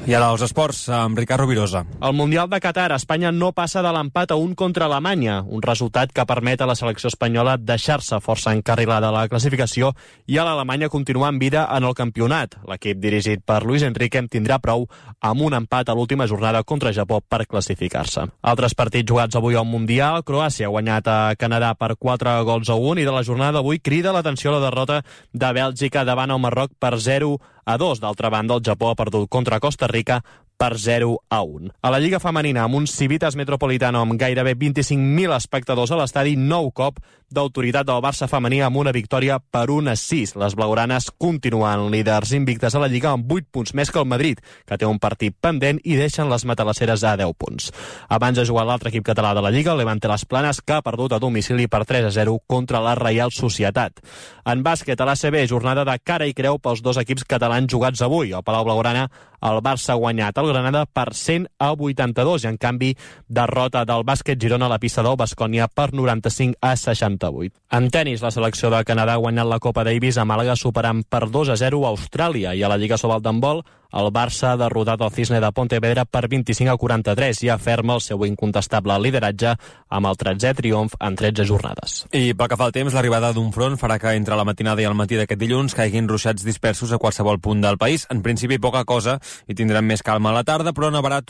I ara els esports, amb Ricard Rovirosa. Al Mundial de Qatar, Espanya no passa de l'empat a 1 contra Alemanya, un resultat que permet a la selecció espanyola deixar-se força encarrilada a la classificació i a l'Alemanya continuar en vida en el campionat. L'equip dirigit per Luis Enrique en tindrà prou amb un empat a l'última jornada contra Japó per classificar-se. Altres partits jugats avui al Mundial, Croàcia ha guanyat a Canadà per 4-1 i de la jornada d'avui crida l'atenció la derrota de Bèlgica davant el Marroc per 0-2. D'altra banda, el Japó ha perdut contra Costa Rica per 0-1. A la Lliga Femenina, amb un Civitas Metropolitano amb gairebé 25.000 espectadors a l'estadi, nou cop d'autoritat del Barça femení amb una victòria per 1-6. Les blaugranes continuen líders invictes a la Lliga amb 8 punts més que el Madrid, que té un partit pendent i deixen les matalasseres a 10 punts. Abans de jugar l'altre equip català de la Lliga, el Levante Las Planes, que ha perdut a domicili per 3-0 contra la Reial Societat. En bàsquet, a l'ACB, jornada de cara i creu pels dos equips catalans jugats avui. Al Palau Blaugrana, el Barça ha guanyat el Granada per 100-82 i, en canvi, derrota del bàsquet Girona a la pista del Baskonia per 95-68. En tenis, la selecció de Canadà ha guanyat la Copa Davis a Màlaga superant per 2-0 a Austràlia, i a la Lliga Sobal d'handbol el Barça ha derrotat el Cisne de Pontevedra per 25-43 i aferma el seu incontestable lideratge amb el 13è triomf en 13 jornades. I pel que fa al temps, l'arribada d'un front farà que entre la matinada i el matí d'aquest dilluns caiguin ruixats dispersos a qualsevol punt del país. En principi, poca cosa i tindrem més calma a la tarda, però nevarà tot